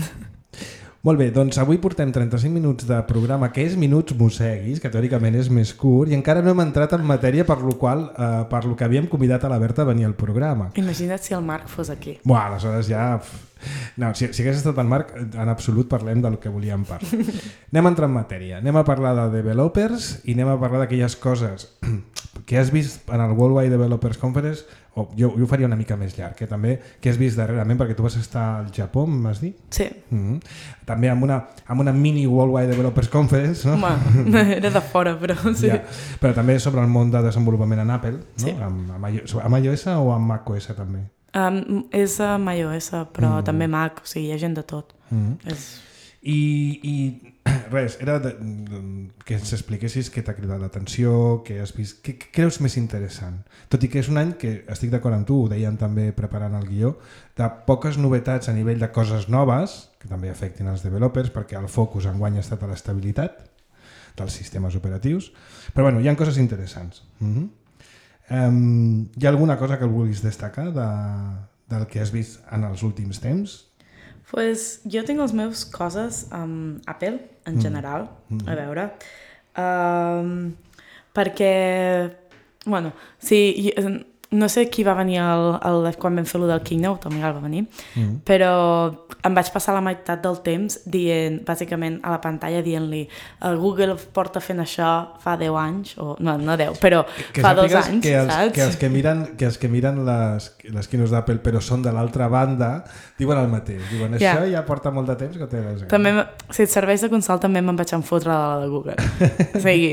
Molt bé, doncs avui portem trenta-cinc minuts de programa, que és Minuts Mosseguis, que teòricament és més curt, i encara no hem entrat en matèria per lo qual, eh, per lo que havíem convidat a la Berta a venir al programa. Imagina't si el Marc fos aquí. Buah, aleshores ja... No, si, si hagués estat en Marc, en absolut parlem del que volíem parlar. Anem a entrar en matèria. Anem a parlar de developers i anem a parlar d'aquelles coses que has vist en el Worldwide Developers Conference, o jo, jo ho faria una mica més llarg, que també que has vist darrerament, perquè tu vas estar al Japó, m'has dit? Sí. Mm-hmm. També amb una, amb una mini Worldwide Developers Conference, no? Home, era de fora, però sí. Ja. Però també sobre el món de desenvolupament en Apple, no? Sí. Amb, amb, iOS, amb iOS o amb macOS també? Um, és amb iOS, però mm. també Mac, o sigui, hi ha gent de tot. Mm. És... I, i res, era de, de, que ens expliquessis què t'ha cridat l'atenció, què has vist, què, què creus més interessant. Tot i que és un any que, estic d'acord amb tu, ho deien també preparant el guió, de poques novetats a nivell de coses noves, que també afectin els developers, perquè el focus enguany ha estat a l'estabilitat dels sistemes operatius, però bueno, hi ha coses interessants. Mm-hmm. Um, hi ha alguna cosa que vulguis destacar de, del que has vist en els últims temps? Pues jo tinc les meves coses amb Apple, en general, mm. a veure. Um, perquè, bueno, sí, no sé qui va venir el, el, quan vam fer lo del Keynote, el Miguel va venir, mm. però em vaig passar la meitat del temps dient, bàsicament a la pantalla dient-li el Google porta fent això fa deu anys, o no, no deu, però que fa dos anys, que els, saps? Que els que miren, que els que miren les, les keynotes d'Apple però són de l'altra banda, diuen el mateix, diuen això yeah. ja porta molt de temps que té les també, si et serveix de consol també me'n vaig enfotre de la de Google. O sigui,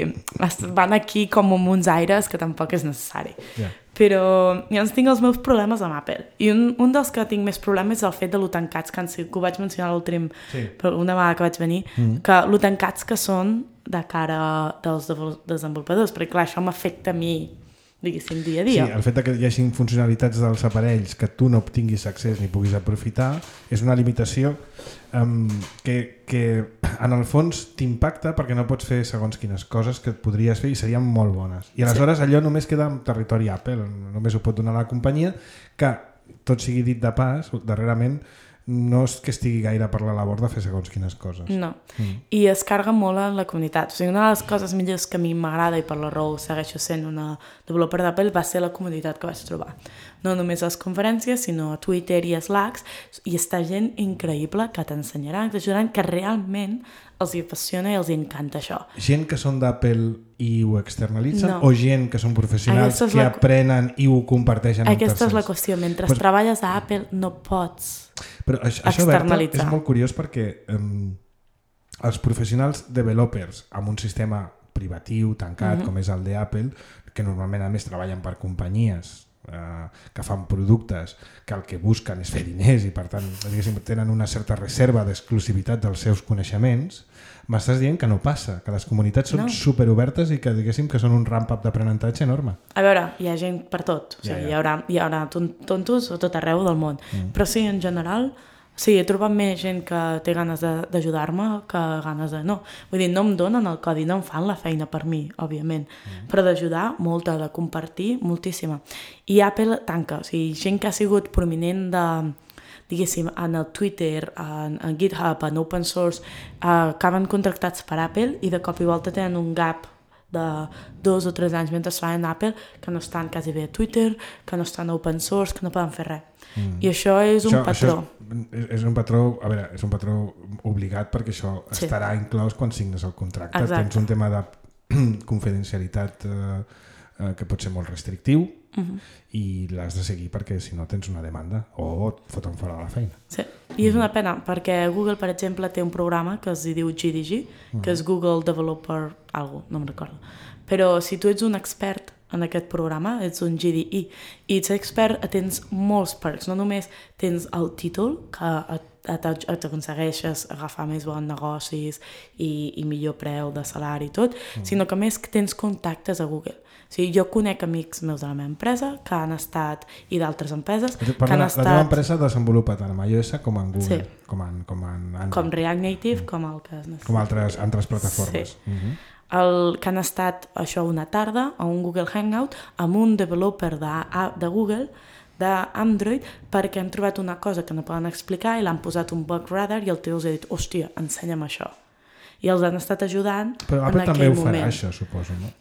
van aquí com amb uns aires que tampoc és necessari. Yeah. Però jo tinc els meus problemes amb Apple. I un, un dels que tinc més problemes és el fet de lo tancats, que, que ho vaig mencionar l'últim, sí. una vegada que vaig venir, mm. que lo tancats que són de cara dels desenvolupadors, perquè clar, això m'afecta a mi, diguéssim, dia a dia. Sí, el fet que hi hagi funcionalitats dels aparells que tu no obtinguis accés ni puguis aprofitar és una limitació um, que, que en el fons t'impacta perquè no pots fer segons quines coses que et podries fer i serien molt bones. I aleshores sí. allò només queda en territori Apple, només ho pot donar la companyia, que tot sigui dit de pas, darrerament no és que estigui gaire per la labor de fer segons quines coses. No, mm. i es carga molt en la comunitat. O sigui, una de les coses millors que a mi m'agrada i per la raó segueixo sent una developer d'Apple va ser la comunitat que vaig trobar. No només a les conferències, sinó a Twitter i a Slack, i està gent increïble que t'ensenyaran, que t'ajudaran, que realment els hi apassiona i els hi encanta això. Gent que són d'Apple i ho externalitzen no. o gent que són professionals que la... aprenen i ho comparteixen amb tercers? Aquesta és la qüestió. Mentre pues... treballes a Apple no pots Però això, això Berta, és molt curiós perquè um, els professionals developers amb un sistema privatiu, tancat, mm-hmm. com és el d'Apple, que normalment a més treballen per companyies eh, que fan productes que el que busquen és fer diners i per tant tenen una certa reserva d'exclusivitat dels seus coneixements, m'estàs dient que no passa, que les comunitats són no. superobertes i que diguéssim que són un ramp-up d'aprenentatge enorme. A veure, hi ha gent per tot, o sigui, ja, ja. Hi, haurà, hi haurà tontos a tot arreu del món, mm. però sí, en general, sí, he trobat més gent que té ganes d'ajudar-me que ganes de no. Vull dir, no em donen el codi, no em fan la feina per mi, òbviament, mm. però d'ajudar, molta, de compartir, moltíssima. I Apple tanca, o sigui, gent que ha sigut prominent de, diguéssim, en el Twitter, en, en GitHub, en open source, eh, acaben contractats per Apple i de cop i volta tenen un gap de dos o tres anys mentre fan Apple que no estan quasi bé a Twitter, que no estan a open source, que no poden fer res. Mm. I això és un això, patró. Això és, és un patró, a veure, és un patró obligat perquè això sí. estarà inclòs quan signes el contracte. Exacte. Tens un tema de confidencialitat eh, eh, que pot ser molt restrictiu uh-huh. i l'has de seguir perquè si no tens una demanda o et foten fora de la feina. Sí, i és una pena perquè Google, per exemple, té un programa que es diu G D G, uh-huh. que és Google Developer algo, no me'n recordo. Però si tu ets un expert en aquest programa, ets un G D E, i ets expert, tens molts perks, no només tens el títol, que t'aconsegueixes agafar més bons negocis i, i millor preu de salari i tot, mm. sinó que més tens contactes a Google. O sigui, jo conec amics meus de la meva empresa que han estat, i d'altres empreses, que han la, estat... La teva empresa desenvolupa tant amb iOS com en Google, sí. com, en, com en Android. Com React Native, mm. com el que es necessita. Com altres, altres plataformes. Sí. Mm-hmm. El, que han estat això una tarda a un Google Hangout amb un developer de, de Google d'Android perquè han trobat una cosa que no poden explicar i l'han posat un bug radar i el tio els ha dit, hòstia, ensenya'm això. I els han estat ajudant però en Apple aquell moment. Però Apple també ho farà, això, suposo, no?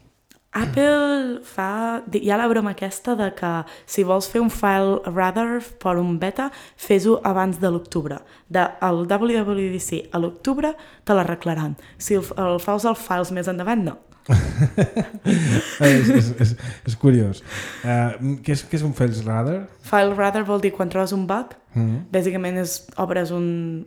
Apple fa... Hi ha la broma aquesta de que si vols fer un file radar per un beta, fes-ho abans de l'octubre. Del W W D C a l'octubre te l'arreglaran. Si el, el fas els files més endavant, no. és, és, és, és curiós. Uh, què, és, què és un file radar? File radar vol dir quan trobes un bug, mm-hmm. bàsicament és, obres un,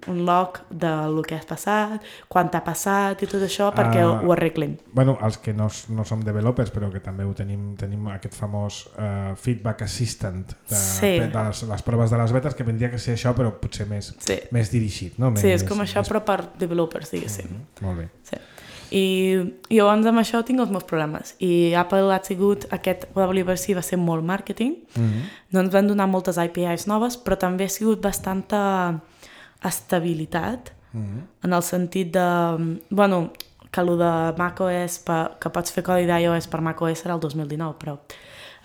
un log del que has passat, quan t'ha passat i tot això perquè uh, ho arreglin. Bueno, els que no, no som developers però que també ho tenim, tenim aquest famós uh, feedback assistant de, sí. de les, les proves de les betes que vendria que ser això però potser més, sí. més dirigit. No? Més, sí, és com més, això més... però per developers, diguéssim. Mm-hmm. Molt bé. Sí. I, i llavors amb això tinc els meus problemes i Apple ha sigut, aquest W W D C va ser molt màrqueting, mm-hmm. no ens van donar moltes A P Is noves però també ha sigut bastanta estabilitat mm-hmm. en el sentit de, bueno, que el de macOS, que pots fer codi d'iOS per macOS serà el dos mil dinou, però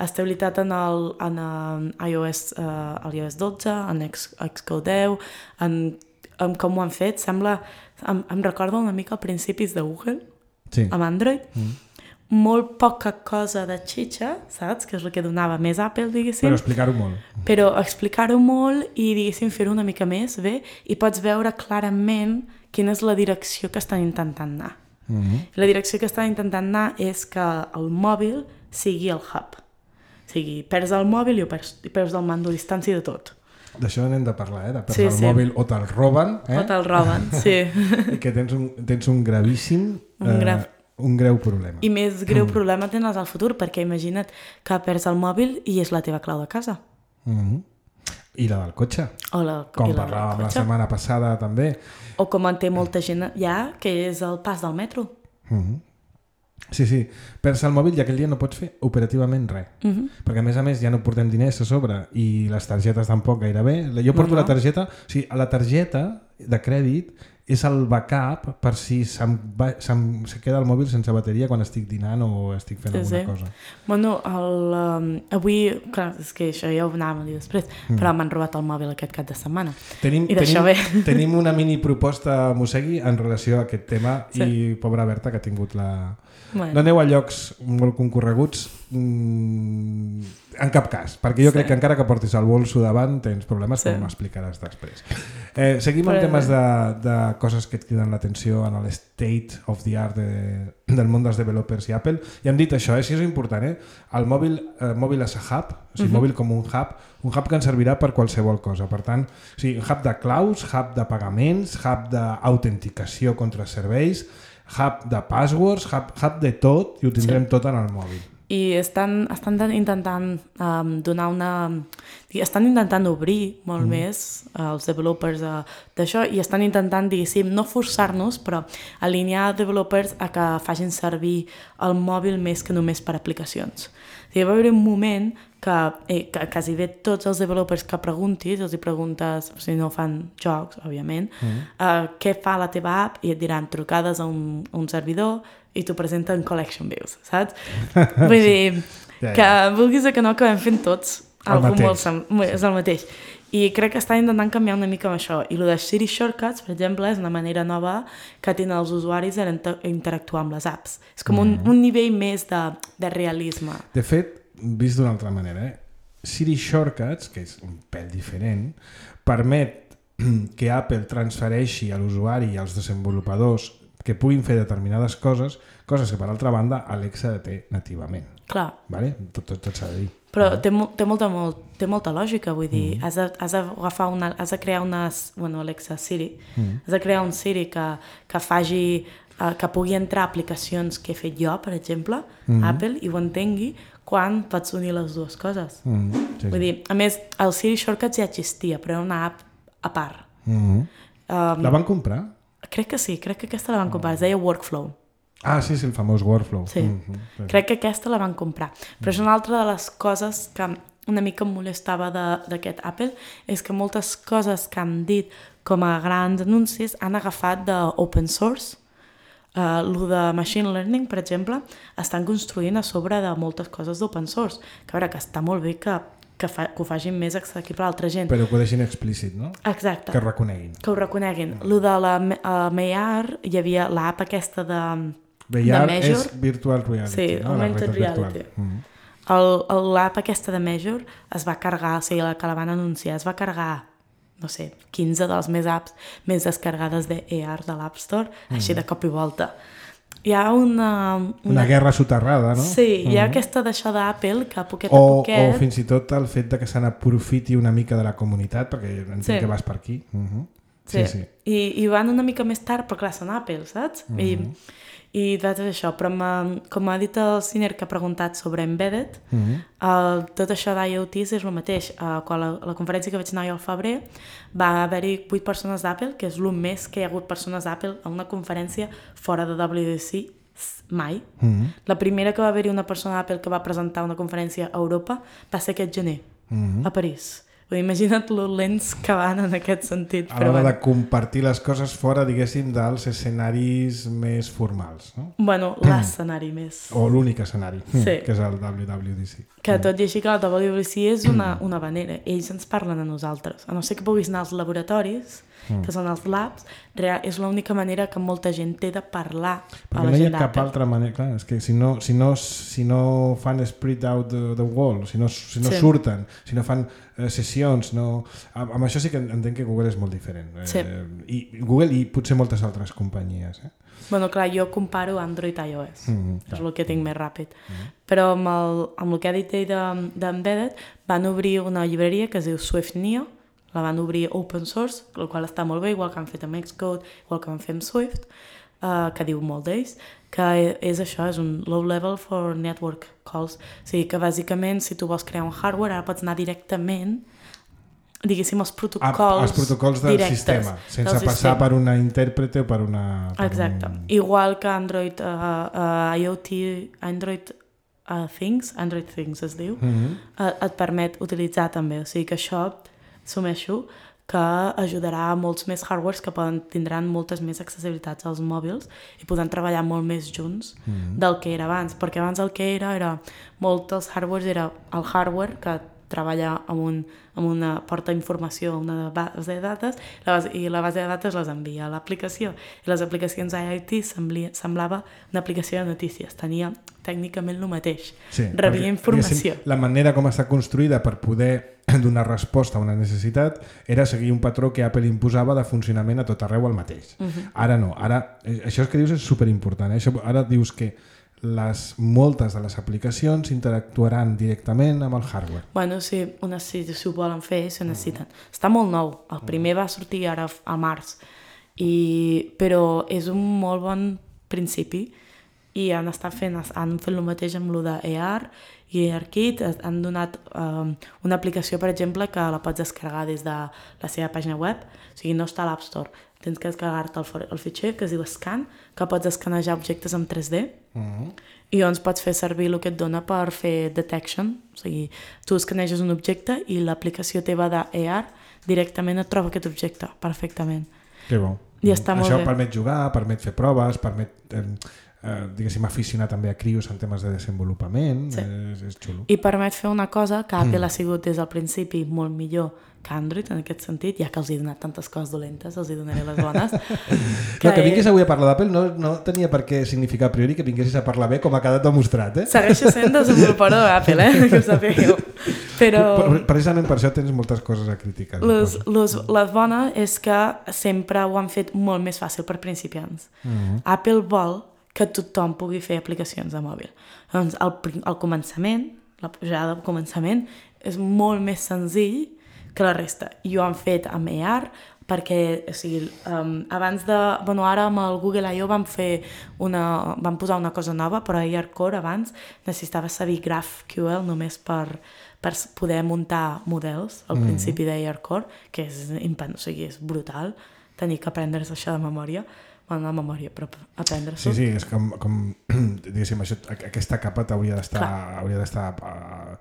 estabilitat en el en, en iOS, uh, el iOS dotze, en Xcode deu, en, en com ho han fet, sembla... Em, em recorda una mica a principis de Google, sí. amb Android, mm. molt poca cosa de xitxa, saps? Que és el que donava més Apple, diguéssim. Però explicar-ho molt. Però explicar-ho molt i, diguéssim, fer-ho una mica més bé i pots veure clarament quina és la direcció que estan intentant anar. Mm-hmm. La direcció que estan intentant anar és que el mòbil sigui el hub. O sigui, perds el mòbil i, perds, i perds el mando a distància de tot. D'això n'hem de parlar, eh? De perdre sí, el sí. mòbil o te'l roben. Eh? O te'l roben, sí. I que tens un, tens un gravíssim, un, grav... eh, un greu problema. I més greu mm. problema tens al futur, perquè imagina't que perds el mòbil i és la teva clau de casa. Mm-hmm. I la del cotxe. O la, com la parlàvem la setmana passada també. O com en té molta gent ja, que és el pas del metro. Mm-hmm. Sí, sí, perds el mòbil i aquell dia no pots fer operativament res. Uh-huh. Perquè a més a més ja no portem diners a sobre i les targetes tampoc gairebé. Jo porto no, no. la targeta, o sigui, la targeta de crèdit és el backup per si se'm va, se'm, se queda el mòbil sense bateria quan estic dinant o estic fent sí, alguna sí. cosa. Bueno, el, um, avui, clar, és que això ja ho anàvem a dir després, mm. però m'han robat el mòbil aquest cap de setmana. Tenim, I d'això tenim, bé. Tenim una mini proposta, Mosegui, en relació a aquest tema sí. i pobra Berta que ha tingut la... Bueno. No aneu a llocs molt concorreguts mm, en cap cas, perquè jo sí. crec que encara que portis el bolso davant tens problemes sí. que m'explicaràs després. Eh, seguim amb temes de, de coses que et criden l'atenció en l'estate of the art de, del món dels developers i Apple. I hem dit això, eh? Si és important, eh? El mòbil, eh, mòbil és a hub, o sigui, uh-huh. mòbil com un hub, un hub que ens servirà per qualsevol cosa. Per tant, o sigui, hub de clouds, hub de pagaments, hub d'autenticació contra serveis, hub de passwords, hub, hub de tot i ho tindrem sí. tot en el mòbil. i estan, estan intentant um, donar una... estan intentant obrir molt mm. més uh, els developers uh, d'això i estan intentant, diguéssim, no forçar-nos, però alinear developers a que facin servir el mòbil més que només per aplicacions. O sigui, va haver un moment que, eh, que quasi bé tots els developers que preguntis, els hi preguntes, si no fan jocs, òbviament, mm. uh, què fa la teva app, i et diran trucades a un, a un servidor i t'ho presenten collection views, saps? Vull dir, ja, ja. que vulguis o que no acabem fent tots algú molt sem- és el mateix. I crec que estan intentant canviar una mica amb això. I el de Siri Shortcuts, per exemple, és una manera nova que tenen els usuaris d'interactuar amb les apps. És com mm. un, un nivell més de, de realisme. De fet, vist d'una altra manera, eh? Siri Shortcuts, que és un pèl diferent, permet que Apple transfereixi a l'usuari i als desenvolupadors que puguin fer determinades coses, coses que per altra banda Alexa té nativament. Clar. Vale? Tot, tot, tot s'ha de dir. Però té, té, molta, molt, té molta lògica, vull dir, mm. has, de, has, de agafar una, has de crear una... Bueno, Alexa, Siri. Mm. Has de crear un Siri que, que faci... Uh, que pugui entrar a aplicacions que he fet jo, per exemple, mm. Apple, i ho entengui quan pots unir les dues coses. Mm. Sí, vull sí. dir, a més, el Siri Shortcuts ja existia, però era una app a part. Mm. Um, la van comprar? Crec que sí, crec que aquesta la van comprar, es deia Workflow. Ah, sí, sí, el famós Workflow. Sí, mm-hmm. crec que aquesta la van comprar. Però és una altra de les coses que una mica em molestava d'aquest Apple, és que moltes coses que han dit com a grans anuncis han agafat d'open source. Uh, el de Machine Learning, per exemple, estan construint a sobre de moltes coses d'open source. Que a veure, que està molt bé que Que, fa, que ho facin més accessible a l'altra gent. Però que ho deixin explícit, no? Exacte. Que ho reconeguin. Que ho reconeguin. Mm. Lo de la uh, M A R, hi havia l'app aquesta de, V R de Measure. És Virtual Reality. Sí, no? Augmented Reality. Mm. L'app aquesta de Measure es va carregar, o sigui, la que la van anunciar, es va carregar, no sé, quinze de les més apps més descarregades de A R de l'App Store, mm. així de cop i volta. Hi ha una... Una, una guerra soterrada, no? Sí, hi ha uh-huh. aquesta d'això d'Apple que a poquet o, a poquet... O fins i tot el fet de que se n'aprofiti una mica de la comunitat, perquè entenc sí. que vas per aquí. Uh-huh. Sí, sí. sí. I, I van una mica més tard, però clar, són Apple, saps? Uh-huh. I, i tot això, però com ha dit el Sinner que ha preguntat sobre Embedded, uh-huh. el, tot això d'IoT és el mateix. Uh, quan la, la conferència que vaig anar jo al febrer va haver-hi vuit persones d'Apple, que és el més que hi ha hagut persones d'Apple a una conferència fora de W W D C mai. Uh-huh. La primera que va haver-hi una persona d'Apple que va presentar una conferència a Europa va ser aquest gener, uh-huh. a París. Imagina't lo lents que van en aquest sentit. A l'hora de compartir les coses fora, diguéssim, dels escenaris més formals, no? Bueno, l'escenari més. O l'únic escenari, sí. que és el W W D C. Que tot i així que el W W D C és una, una manera. Ells ens parlen a nosaltres. A no ser que puguis anar als laboratoris, mm. que són els labs, és l'única manera que molta gent té de parlar perquè a la no gent hi ha cap altra manera. Clar, és que si no, si no, si no fan split out the, the wall, si no, si no sí. surten, si no fan eh, sessions, no... Amb, amb això sí que entenc que Google és molt diferent. Eh, sí. I Google i potser moltes altres companyies. Eh? Bueno, clar, jo comparo Android i iOS. Mm-hmm, és el que tinc més ràpid. Mm-hmm. Però amb el, amb el que ha dit ell d'Embedded, de, van obrir una llibreria que es diu Swift Neo, la van obrir open source, el qual està molt bé, igual que han fet amb Xcode, igual que van fer amb Swift, uh, que diu molt d'ells, que és això, és un low level for network calls. O sigui que bàsicament si tu vols crear un hardware, ara pots anar directament, diguéssim, els protocols a, els protocols del directes, sistema, sense del passar sistema. Per una intèrprete o per una... Per exacte. Un... Igual que Android, uh, uh, IoT, Android uh, Things, Android Things es diu, mm-hmm. uh, et permet utilitzar també. O sigui que això assumeixo que ajudarà a molts més hardwares que poden, tindran moltes més accessibilitats als mòbils i podran treballar molt més junts mm-hmm. del que era abans, perquè abans el que era era molt dels hardwares era el hardware que treballa amb, un, amb una porta informació, una base de dades la base, i la base de dades les envia a l'aplicació i les aplicacions IoT semblia, semblava una aplicació de notícies, tenia tècnicament el mateix, sí, rebia informació. La manera com està construïda per poder donar resposta a una necessitat era seguir un patró que Apple imposava de funcionament a tot arreu el mateix. Uh-huh. Ara no, ara, això que dius és superimportant, eh? Això, ara dius que les, moltes de les aplicacions interactuaran directament amb el hardware. Bueno, si, una, si, si ho volen fer, si ho necessiten. Mm. Està molt nou. El primer va sortir ara a març, i, però és un molt bon principi i han estat fent, han fet el mateix amb lo de A R i ARKit, han donat um, una aplicació, per exemple, que la pots descarregar des de la seva pàgina web, o sigui, no està a l'App Store, tens que descarregar-te el, el fitxer que es diu Scan, que pots escanejar objectes en tres D, uh-huh. i llavors pots fer servir el que et dona per fer detection, o sigui, tu escaneges un objecte i l'aplicació teva d'A R directament et troba aquest objecte, perfectament. Que bo. I està molt Això bé. permet jugar, permet fer proves, permet, eh, eh, diguéssim, aficionar també a crios en temes de desenvolupament, sí. és, és xulo. I permet fer una cosa que Apple mm. ha sigut des del principi molt millor que Android en aquest sentit, ja que els he donat tantes coses dolentes, els hi donaré les bones. que, no, que vingués avui a parlar d'Apple no, no tenia per què significar a priori que vinguessis a parlar bé com ha quedat demostrat, eh? Segueixo sent desenvolupador d'Apple, eh? Que ho sapigueu. Però... Precisament per això tens moltes coses a criticar. Les, les, la bona és que sempre ho han fet molt més fàcil per principiants. Mm-hmm. Apple vol que tothom pugui fer aplicacions de mòbil. Doncs al, al començament, la pujada al començament, és molt més senzill que la resta. I ho han fet amb A R perquè, o sigui, um, abans de... Bueno, ara amb el Google I O vam fer una... vam posar una cosa nova, però a ARCore abans necessitava saber GraphQL només per, per poder muntar models al mm-hmm. principi d'ARCore, que és, o sigui, és brutal tenir que aprendre's això de memòria. Bueno, no memòria, però aprendre-s'ho. Sí, sí, és com, com diguéssim, això, aquesta capa t'hauria d'estar hauria d'estar uh,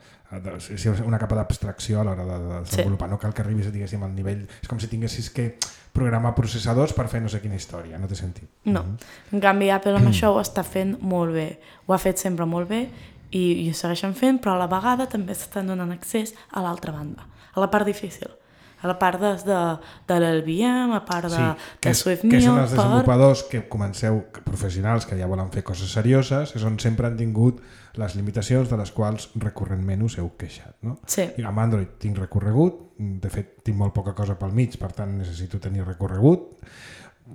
una capa d'abstracció a l'hora de, de desenvolupar. Sí. No cal que arribis, diguéssim, al nivell... És com si tinguessis que programar processadors per fer no sé quina història, no té sentit. No, mm-hmm. en canvi Apple amb això ho està fent molt bé. Ho ha fet sempre molt bé i, i ho segueixen fent, però a la vegada també s'estan donant accés a l'altra banda, a la part difícil. A la part de, de, de l'L V M, a part de, sí, que de és, SwiftMill... Que són els desenvolupadors per... que comenceu, professionals que ja volen fer coses serioses, és on sempre han tingut les limitacions de les quals recurrentment us heu queixat. No? Sí. I amb Android tinc recorregut, de fet tinc molt poca cosa pel mig, per tant necessito tenir recorregut,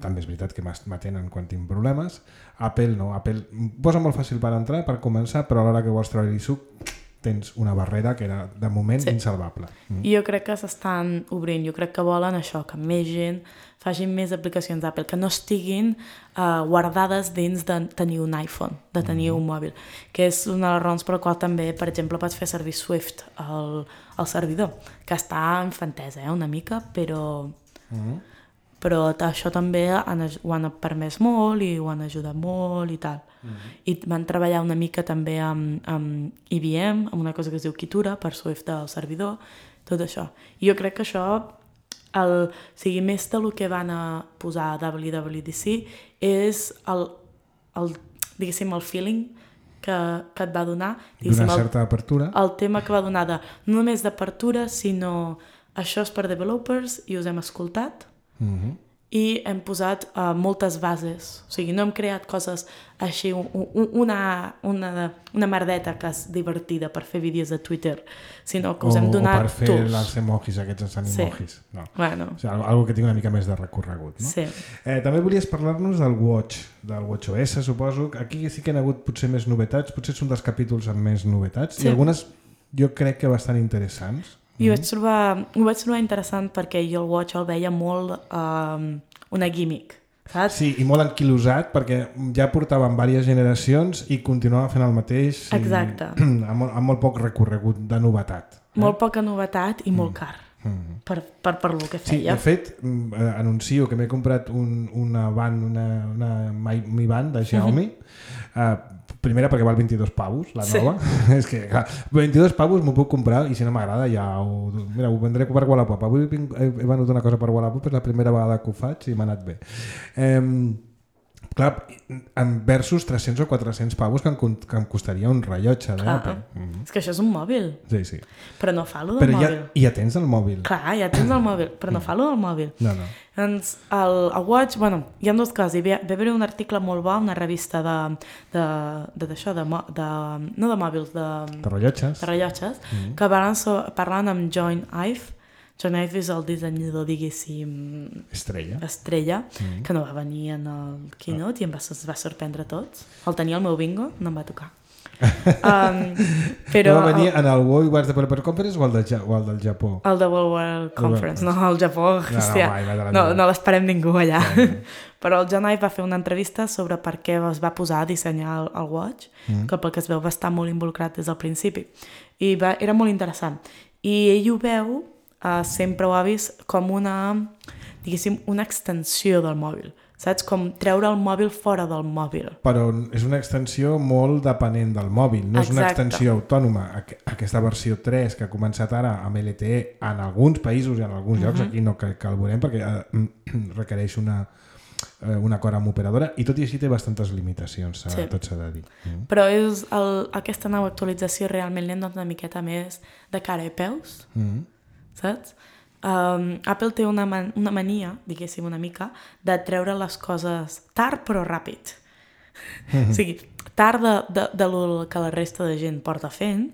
també és veritat que m'atenen quan tinc problemes. Apple no, Apple posa molt fàcil per entrar, per començar, però a l'hora que vols treure-hi suc tens una barrera que era, de moment, sí. insalvable. Mm. I jo crec que s'estan obrint, jo crec que volen això, que més gent facin més aplicacions d'Apple, que no estiguin uh, guardades dins de tenir un iPhone, de tenir mm. un mòbil, que és una de les raons per la qual també, per exemple, pots fer servir Swift al, al servidor, que està infantesa, eh, una mica, però... Mm. però això també han, ho han permès molt i ho han ajudat molt i tal. Mm-hmm. I van treballar una mica també amb, amb I B M, amb una cosa que es diu Kitura, per Swift del servidor, tot això. I jo crec que això, el, o sigui, més del que van a posar a W W D C, és el, el, diguéssim, el feeling que, que et va donar. D'una certa apertura. El tema que va donar de, no només d'apertura, sinó això és per developers i us hem escoltat, mm-hmm. i hem posat uh, moltes bases, o sigui, no hem creat coses així, un, una, una, una merdeta que és divertida per fer vídeos de Twitter, sinó que us hem donat o per fer tools. Els emojis, aquests ens animojis. Sí. No. Bueno. O sigui, algo que tingui una mica més de recorregut. No? Sí. Eh, també volies parlar-nos del Watch, del WatchOS, suposo. Aquí sí que han hagut potser més novetats, potser són dels capítols amb més novetats, sí. i algunes jo crec que bastant interessants. I ho vaig trobar, ho vaig trobar interessant perquè jo el Watch el veia molt um, una gimmick, saps? Sí, i molt anquilosat perquè ja portaven diverses generacions i continuava fent el mateix. Exacte. I, amb, amb molt poc recorregut de novetat. Eh? Molt poca novetat i molt car. Mm. Per, per, per lo que feia. Sí, de fet, eh, anuncio que m'he comprat un, una band, una, una Mi Band de Xiaomi, mm-hmm. eh, primera perquè val vint-i-dos pavos, la nova. Sí. És que, clar, vint-i-dos pavos m'ho puc comprar i si no m'agrada ja ho... Mira, ho vendré per Wallapop. Avui he venut una cosa per Wallapop, és la primera vegada que ho faig i m'ha anat bé. Eh, clar, versus tres-cents o quatre-cents pavos que em, que em costaria un rellotge d'Apple. Mm-hmm. És que això és un mòbil. Sí, sí. Però no fa lo del però mòbil. Ja, ja tens el mòbil. Clar, ja tens el mòbil, però no fa lo del mòbil. No, no. Doncs el, el Watch, bueno, hi ha dos coses. Hi va haver un article molt bo, una revista de, de, de, d'això, de, de, no de mòbils, de, de rellotges, de rellotges mm-hmm. que van so, parlant amb John Ive. John Ive és el dissenyador, diguéssim... Estrella. Estrella, mm-hmm. que no va venir en el keynote i em va, es va sorprendre a tots. El tenia al meu bingo, no em va tocar. Um, però... Va venir en el World Wars Developer Conference o el, de, o el del Japó? El de World World Conference, no, el Japó, no, hòstia, no, mai, no, no l'esperem ningú allà. Sí. Però el John Ive va fer una entrevista sobre per què es va posar a dissenyar el, el Watch, mm. que pel que es veu va estar molt involucrat des del principi. I va, era molt interessant. I ell ho veu, uh, sempre ho ha vist, com una, diguéssim, una extensió del mòbil. Saps? Com treure el mòbil fora del mòbil. Però és una extensió molt depenent del mòbil, no és una Exacte. extensió autònoma. Aquesta versió tres que ha començat ara amb L T E en alguns països i en alguns llocs, uh-huh. aquí no que, que el veurem perquè eh, requereix una, eh, un acord amb operadora i tot i així té bastantes limitacions, sí. tot s'ha de dir. Mm. Però és el, aquesta nova actualització realment li han donat una miqueta més de cara i peus, mm. saps? Um, Apple té una, man una mania, diguéssim una mica, de treure les coses tard però ràpid. Mm-hmm. O sigui, tard de, de, de lo que la resta de gent porta fent,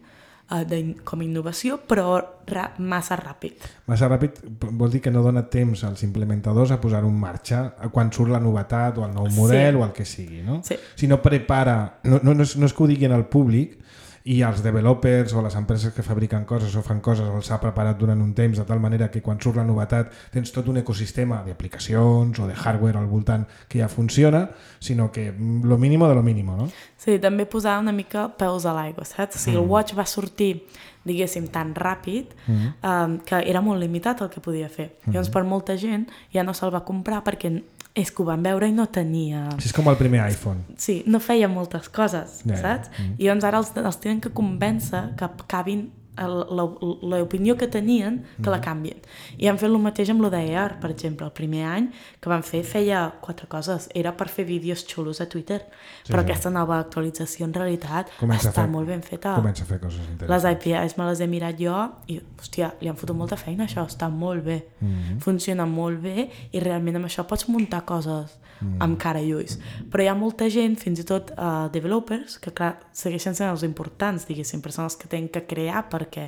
uh, de, com a innovació, però ra massa ràpid. Massa ràpid vol dir que no dona temps als implementadors a posar-ho en marxa quan surt la novetat o el nou model sí. o el que sigui, no? Sí. Si no prepara, no, no, no, és, no és que ho diguin al públic, i els developers o les empreses que fabriquen coses o fan coses els ha preparat durant un temps de tal manera que quan surt la novetat tens tot un ecosistema d'aplicacions o de hardware al voltant que ja funciona, sinó que lo mínimo de lo mínimo, no? Sí, també posar una mica peus a l'aigua, saps? O sigui, mm. el Watch va sortir, diguéssim, tan ràpid mm. um, que era molt limitat el que podia fer. Mm. Llavors, per molta gent ja no se'l va comprar perquè és que ho van veure i no tenia... Sí, és com el primer iPhone. Sí, no feia moltes coses, yeah, saps? Yeah. Mm. I llavors ara els, els tenen que convèncer que acabin l'opinió que tenien, que la canvien. I han fet el mateix amb lo d'A R, per exemple. El primer any que van fer feia quatre coses. Era per fer vídeos xulos a Twitter. Sí, però sí. aquesta nova actualització en realitat comença està fer, molt ben feta. Comença a fer coses interessants. Les A P Is me les he mirat jo i, hòstia, li han fotut molta feina això. Està molt bé. Mm-hmm. Funciona molt bé i realment amb això pots muntar coses mm. amb cara i ulls. Però hi ha molta gent, fins i tot uh, developers, que clar, segueixen sent els importants, diguéssim, persones que tenen que crear per perquè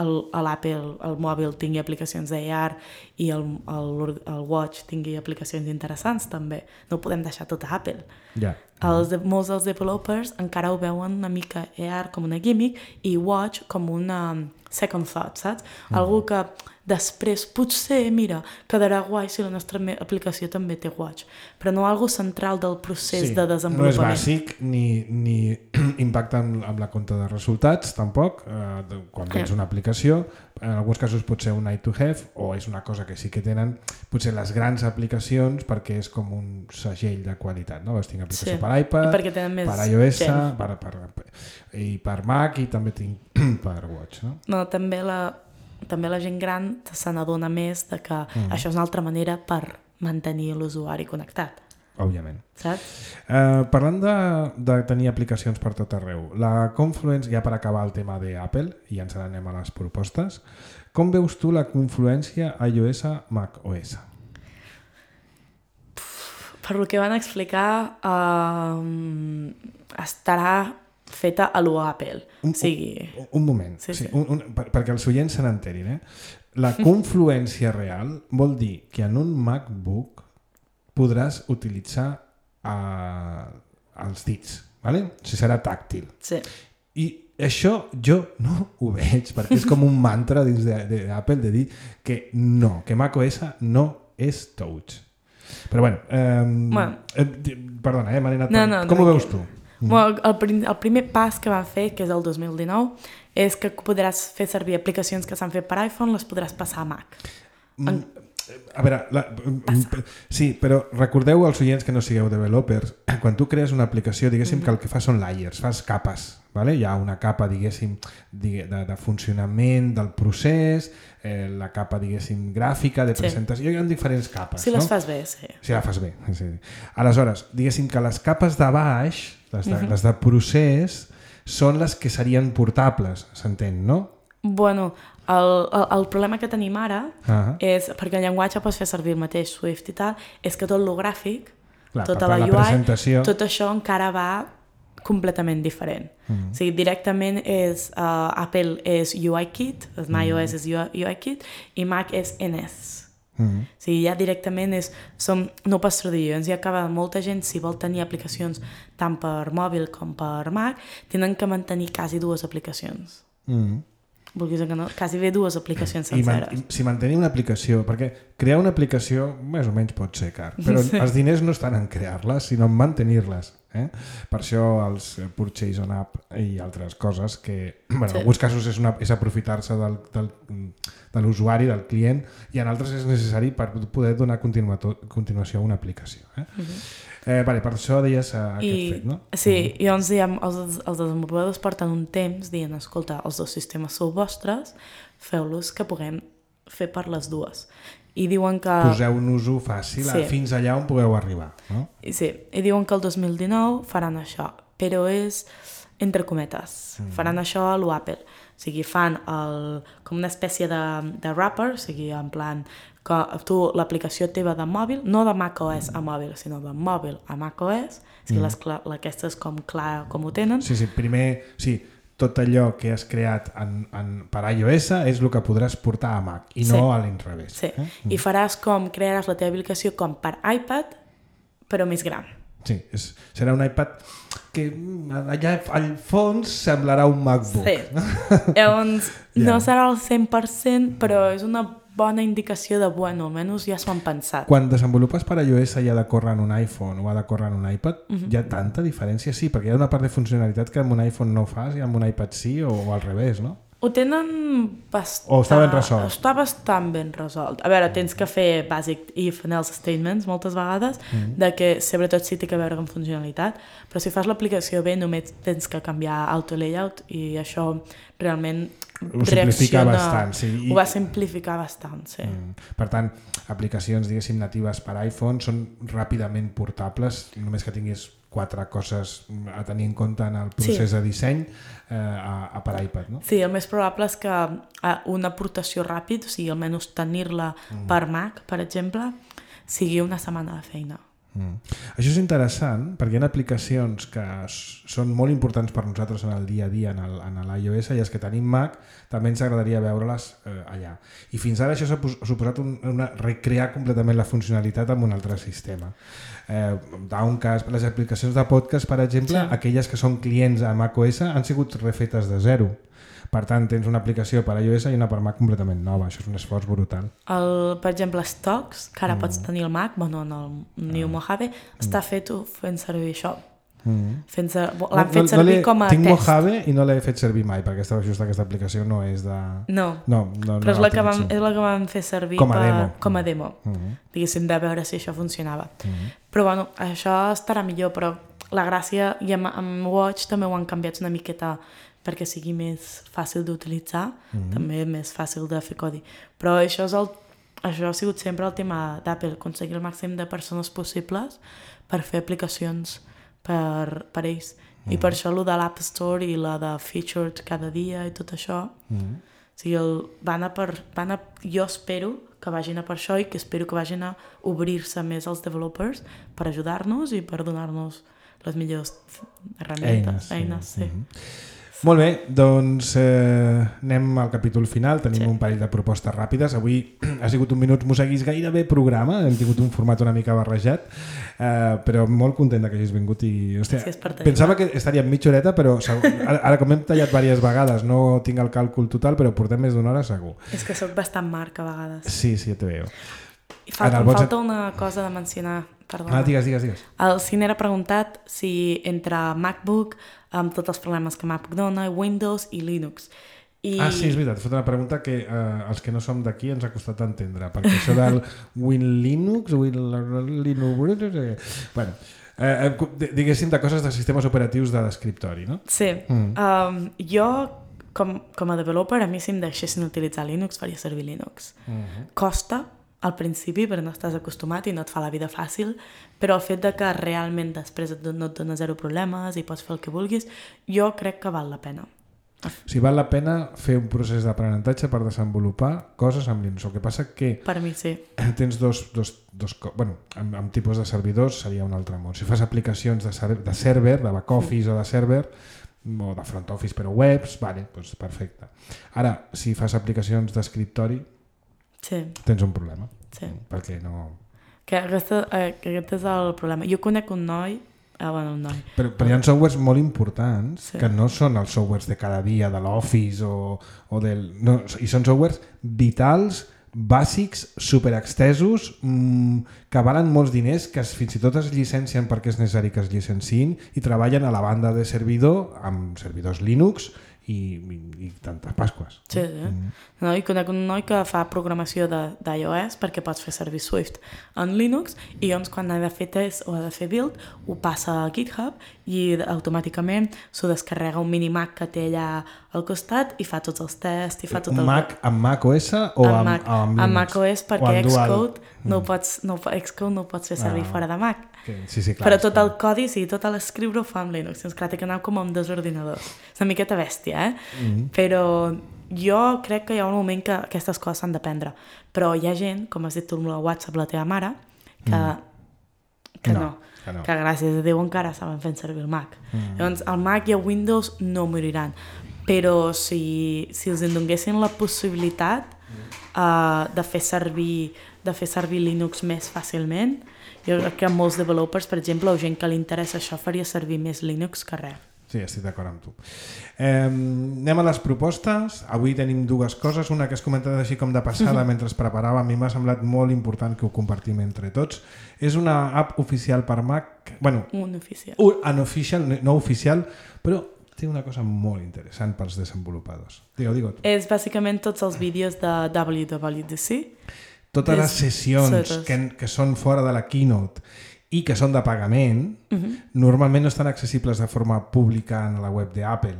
l'Apple, el, el mòbil tingui aplicacions d'A R i el, el, el Watch tingui aplicacions interessants també. No ho podem deixar tot a Apple. Yeah. Els de, molts dels developers encara ho veuen una mica A R com una gimmick i Watch com una second thought, saps? Mm. Algú que després potser, mira, quedarà guai si la nostra aplicació també té Watch, però no algo central del procés sí, de desenvolupament. No és bàsic ni, ni impacta amb, amb la compta de resultats tampoc, eh, quan tens una aplicació. En alguns casos pot ser un nice to have o és una cosa que sí que tenen potser les grans aplicacions perquè és com un segell de qualitat, no? Tinc aplicació sí. per iPad, per iOS, per, per, per, i per Mac i també tinc per Watch. No, no també la també la gent gran se n'adona més de que mm. això és una altra manera per mantenir l'usuari connectat. Òbviament. Saps? Eh, parlant de, de tenir aplicacions per tot arreu, la Confluence, ja per acabar el tema d'Apple, i ja ens n'anem a les propostes, com veus tu la confluència iOS macOS? Per lo que van explicar, eh, estarà feta a lo Apple. Un, o sigui... un, un moment, sí, sí, sí. Un, un, per, perquè els oients se n'enterin. Eh? La confluència real vol dir que en un MacBook podràs utilitzar uh, els dits, ¿vale? O sigui, serà tàctil. Sí. I això jo no ho veig, perquè és com un mantra dins d'Apple de, de dir que no, que macOS no és touch. Però bueno, eh, bueno. Eh, perdona, eh, m'he anat... No, no, com ho veus tu? Mm. Bueno, el, el primer pas que van fer, que és el dos mil dinou, és que podràs fer servir aplicacions que s'han fet per iPhone, les podràs passar a Mac. Mm. En... A veure, la... sí, però recordeu als oients que no sigueu developers, quan tu crees una aplicació, diguéssim mm-hmm. que el que fa són layers, fas capes, ¿vale? Hi ha una capa, diguéssim, de, de funcionament del procés, eh, la capa, diguéssim, gràfica, de presentació, sí. Hi ha diferents capes. Si les no? fas bé, sí. Si la fas bé, sí. Aleshores, diguéssim que les capes de baix, les de, mm-hmm. les de procés, són les que serien portables, s'entén, no? Bueno, el, el, el problema que tenim ara uh-huh. és, perquè el llenguatge pots fer servir el mateix Swift i tal, és que tot lo gràfic, clar, tota la, la U I, presentació... tot això encara va completament diferent. Mm. O sigui, directament és uh, Apple és UIKit, mm. iOS és UIKit i Mac és N S. Mm. O sigui, ja directament és, som, no pas traduïents, ja acaba molta gent, si vol tenir aplicacions tant per mòbil com per Mac, tenen que mantenir quasi dues aplicacions. Mm. Vulguis que no, quasi bé dues aplicacions senceres. I, man, i si mantenir una aplicació, perquè crear una aplicació més o menys pot ser car, però sí. Els diners no estan en crear-les, sinó en mantenir-les. Eh? Per això els Purchase on App i altres coses que, bueno, sí. En alguns casos és, una, és aprofitar-se del, del, de l'usuari, del client, i en altres és necessari per poder donar continuació a una aplicació. Eh? Uh-huh. Eh, vale, per això deies uh, aquest I, fet, no? Sí, uh-huh. I llavors diem, els, els desenvolupadors porten un temps dient, escolta, els dos sistemes sou vostres, feu-los que puguem fer per les dues. I diuen que... Poseu un ús fàcil sí. Fins allà on pugueu arribar, no? Sí, i diuen que el dos mil dinou faran això, però és entre cometes, mm. faran això a l'Apple. O sigui, fan el, com una espècie de, de wrapper, o sigui, en plan, que tu l'aplicació teva de mòbil, no de macOS a mòbil, sinó de mòbil a macOS, o sigui, mm. les, aquestes com clar com ho tenen. Sí, sí, primer... Sí. Tot allò que has creat en, en, per iOS és el que podràs portar a Mac i sí. No a l'inrevés. Sí, eh? Mm. I faràs com, crearàs la teva aplicació com per iPad, però més gran. Sí, és, serà un iPad que allà al fons semblarà un MacBook. Sí, llavors yeah. No serà el cent per cent, però és una bona indicació de, bueno, almenys ja s'ho han pensat. Quan desenvolupes per iOS i ha de córrer en un iPhone o ha de córrer en un iPad, uh-huh. Hi ha tanta diferència? Sí, perquè hi ha una part de funcionalitat que amb un iPhone no fas i amb un iPad sí, o, o al revés, no? Ho tenen bastant... O està ben resolt? Està bastant ben resolt. A veure, tens que fer basic if and else statements moltes vegades, mm. de que sobretot sí té que veure amb funcionalitat, però si fas l'aplicació bé només tens que canviar auto layout i això realment ho simplifica bastant, sí. I... Ho va simplificar bastant, sí. Mm. Per tant, aplicacions, diguéssim, natives per iPhone són ràpidament portables, només que tinguis quatre coses a tenir en compte en el procés sí. De disseny eh, a, a per iPad, no? Sí, el més probable és que una aportació ràpid, o sigui, almenys tenir-la mm. per Mac, per exemple, sigui una setmana de feina. Mm. Això és interessant perquè hi ha aplicacions que són molt importants per nosaltres en el dia a dia en, el, en l'iOS i els que tenim Mac també ens agradaria veure-les eh, allà. I fins ara això s'ha suposat un, una, recrear completament la funcionalitat amb un altre sistema. Eh, Downcast, les aplicacions de podcast, per exemple, sí. Aquelles que són clients a macOS han sigut refetes de zero. Per tant, tens una aplicació per iOS i una per Mac completament nova. Això és un esforç brutal. El, per exemple, Stocks, que ara mm. pots tenir el Mac, bueno, en el New mm. Mojave, està fet fent servir això. Mm. Fent ser, l'han no, fet servir no com a tinc test. Tinc Mojave i no l'he fet servir mai, perquè aquesta, just aquesta aplicació no és de... No, no, no però no és, la que vam, és la que vam fer servir com a per, demo. Com a demo. Mm. Diguéssim, de veure si això funcionava. Mm. Però bueno, això estarà millor, però la gràcia, i amb, amb Watch també ho han canviat una miqueta perquè sigui més fàcil d'utilitzar, mm-hmm. també més fàcil de fer codi. Però això, és el, això ha sigut sempre el tema d'Apple, aconseguir el màxim de persones possibles per fer aplicacions per, per ells. Mm-hmm. I per això el de l'App Store i la de Featured cada dia i tot això, mm-hmm. o sigui, el, van a per, van a, jo espero que vagin a per això i que espero que vagin a obrir-se més als developers per ajudar-nos i per donar-nos les millors herramientes, eines, eines sí. sí. Mm-hmm. Molt bé, doncs eh, anem al capítol final, tenim sí. Un parell de propostes ràpides. Avui ha sigut un minut moseguis gairebé programa, hem tingut un format una mica barrejat, eh, però molt content que hagis vingut i hòstia, sí, pensava que estaria en mitja horeta, però ara, ara com hem tallat diverses vegades, no tinc el càlcul total, però portem més d'una hora segur. És que sóc bastant marc a vegades. Sí, sí, ja te veo. I falta, em falta una cosa de mencionar. Perdona. Ah, digues, digues, digues. El Cine ha preguntat si entre MacBook, amb tots els problemes que MacBook dona, Windows i Linux. I... Ah, sí, és veritat. He fet una pregunta que eh, els que no som d'aquí ens ha costat entendre, perquè això del Win Linux, Win Linux... Bueno, eh, diguéssim de coses de sistemes operatius de l'escriptori, no? Sí. Mm. Um, jo, com, com a developer, a mi si em deixessin utilitzar Linux, faria servir Linux. Mm-hmm. Costa, al principi, perquè no estàs acostumat i no et fa la vida fàcil, però el fet de que realment després no et dona zero problemes i pots fer el que vulguis, jo crec que val la pena. O sigui, val la pena fer un procés d'aprenentatge per desenvolupar coses amb Linux. El que passa que... Per mi sí. Tens dos... dos, dos bueno, amb, amb tipus de servidors seria un altre món. Si fas aplicacions de, ser, de server, de back office mm. o de server, o de front office però webs, vale, doncs perfecte. Ara, si fas aplicacions d'escriptori, Sí. tens un problema. Sí. Perquè no... Que, aquesta, eh, que aquest és el problema. Jo conec un noi, ah, bueno, un noi. Però, però hi ha softwares molt importants Sí. que no són els softwares de cada dia, de l'Office o, o del... No, i són softwares vitals, bàsics, superextesos, mmm, que valen molts diners, que es, fins i tot es llicencien perquè és necessari que es llicenciïn i treballen a la banda de servidor amb servidors Linux i, i, i tantes pasques. Sí, sí. Mm. No, i conec un noi que fa programació d'iOS perquè pots fer servir Swift en Linux i llavors quan ha de fer test o ha de fer build ho passa a GitHub i automàticament s'ho descarrega un minimac que té allà al costat i fa tots els tests i fa tot un el... Mac amb Mac O S o amb, Mac, amb, amb Mac O S perquè Xcode mm. no, pots, no, Xcode no ho pots fer servir ah, fora de Mac. Okay. Sí, sí, clar, però tot el codi, sí, tot l'escriure ho fa amb Linux. Doncs clar, té que anar com amb dos ordinadors. És una miqueta bèstia, eh? Mm-hmm. Però jo crec que hi ha un moment que aquestes coses s'han d'aprendre. Però hi ha gent, com has dit tu amb la WhatsApp, la teva mare, que, mm. que, no, no, que no, que gràcies a Déu encara saben fer servir el Mac. Mm. Llavors, el Mac i el Windows no moriran. Però si, si els en donguessin la possibilitat uh, de fer servir de fer servir Linux més fàcilment, jo crec que molts developers, per exemple, o gent que li interessa això, faria servir més Linux que res. Sí, estic d'acord amb tu. Eh, anem a les propostes. Avui tenim dues coses. Una que has comentat així com de passada mm-hmm. mentre es preparava. A mi m'ha semblat molt important que ho compartim entre tots. És una app oficial per Mac. Bueno, un oficial. Un unofficial, no oficial, però té una cosa molt interessant pels desenvolupadors. Digue-ho, digue-ho tu. És bàsicament tots els vídeos de W W D C. Totes les sessions que, que són fora de la Keynote i que són de pagament, uh-huh. normalment no estan accessibles de forma pública en la web d'Apple.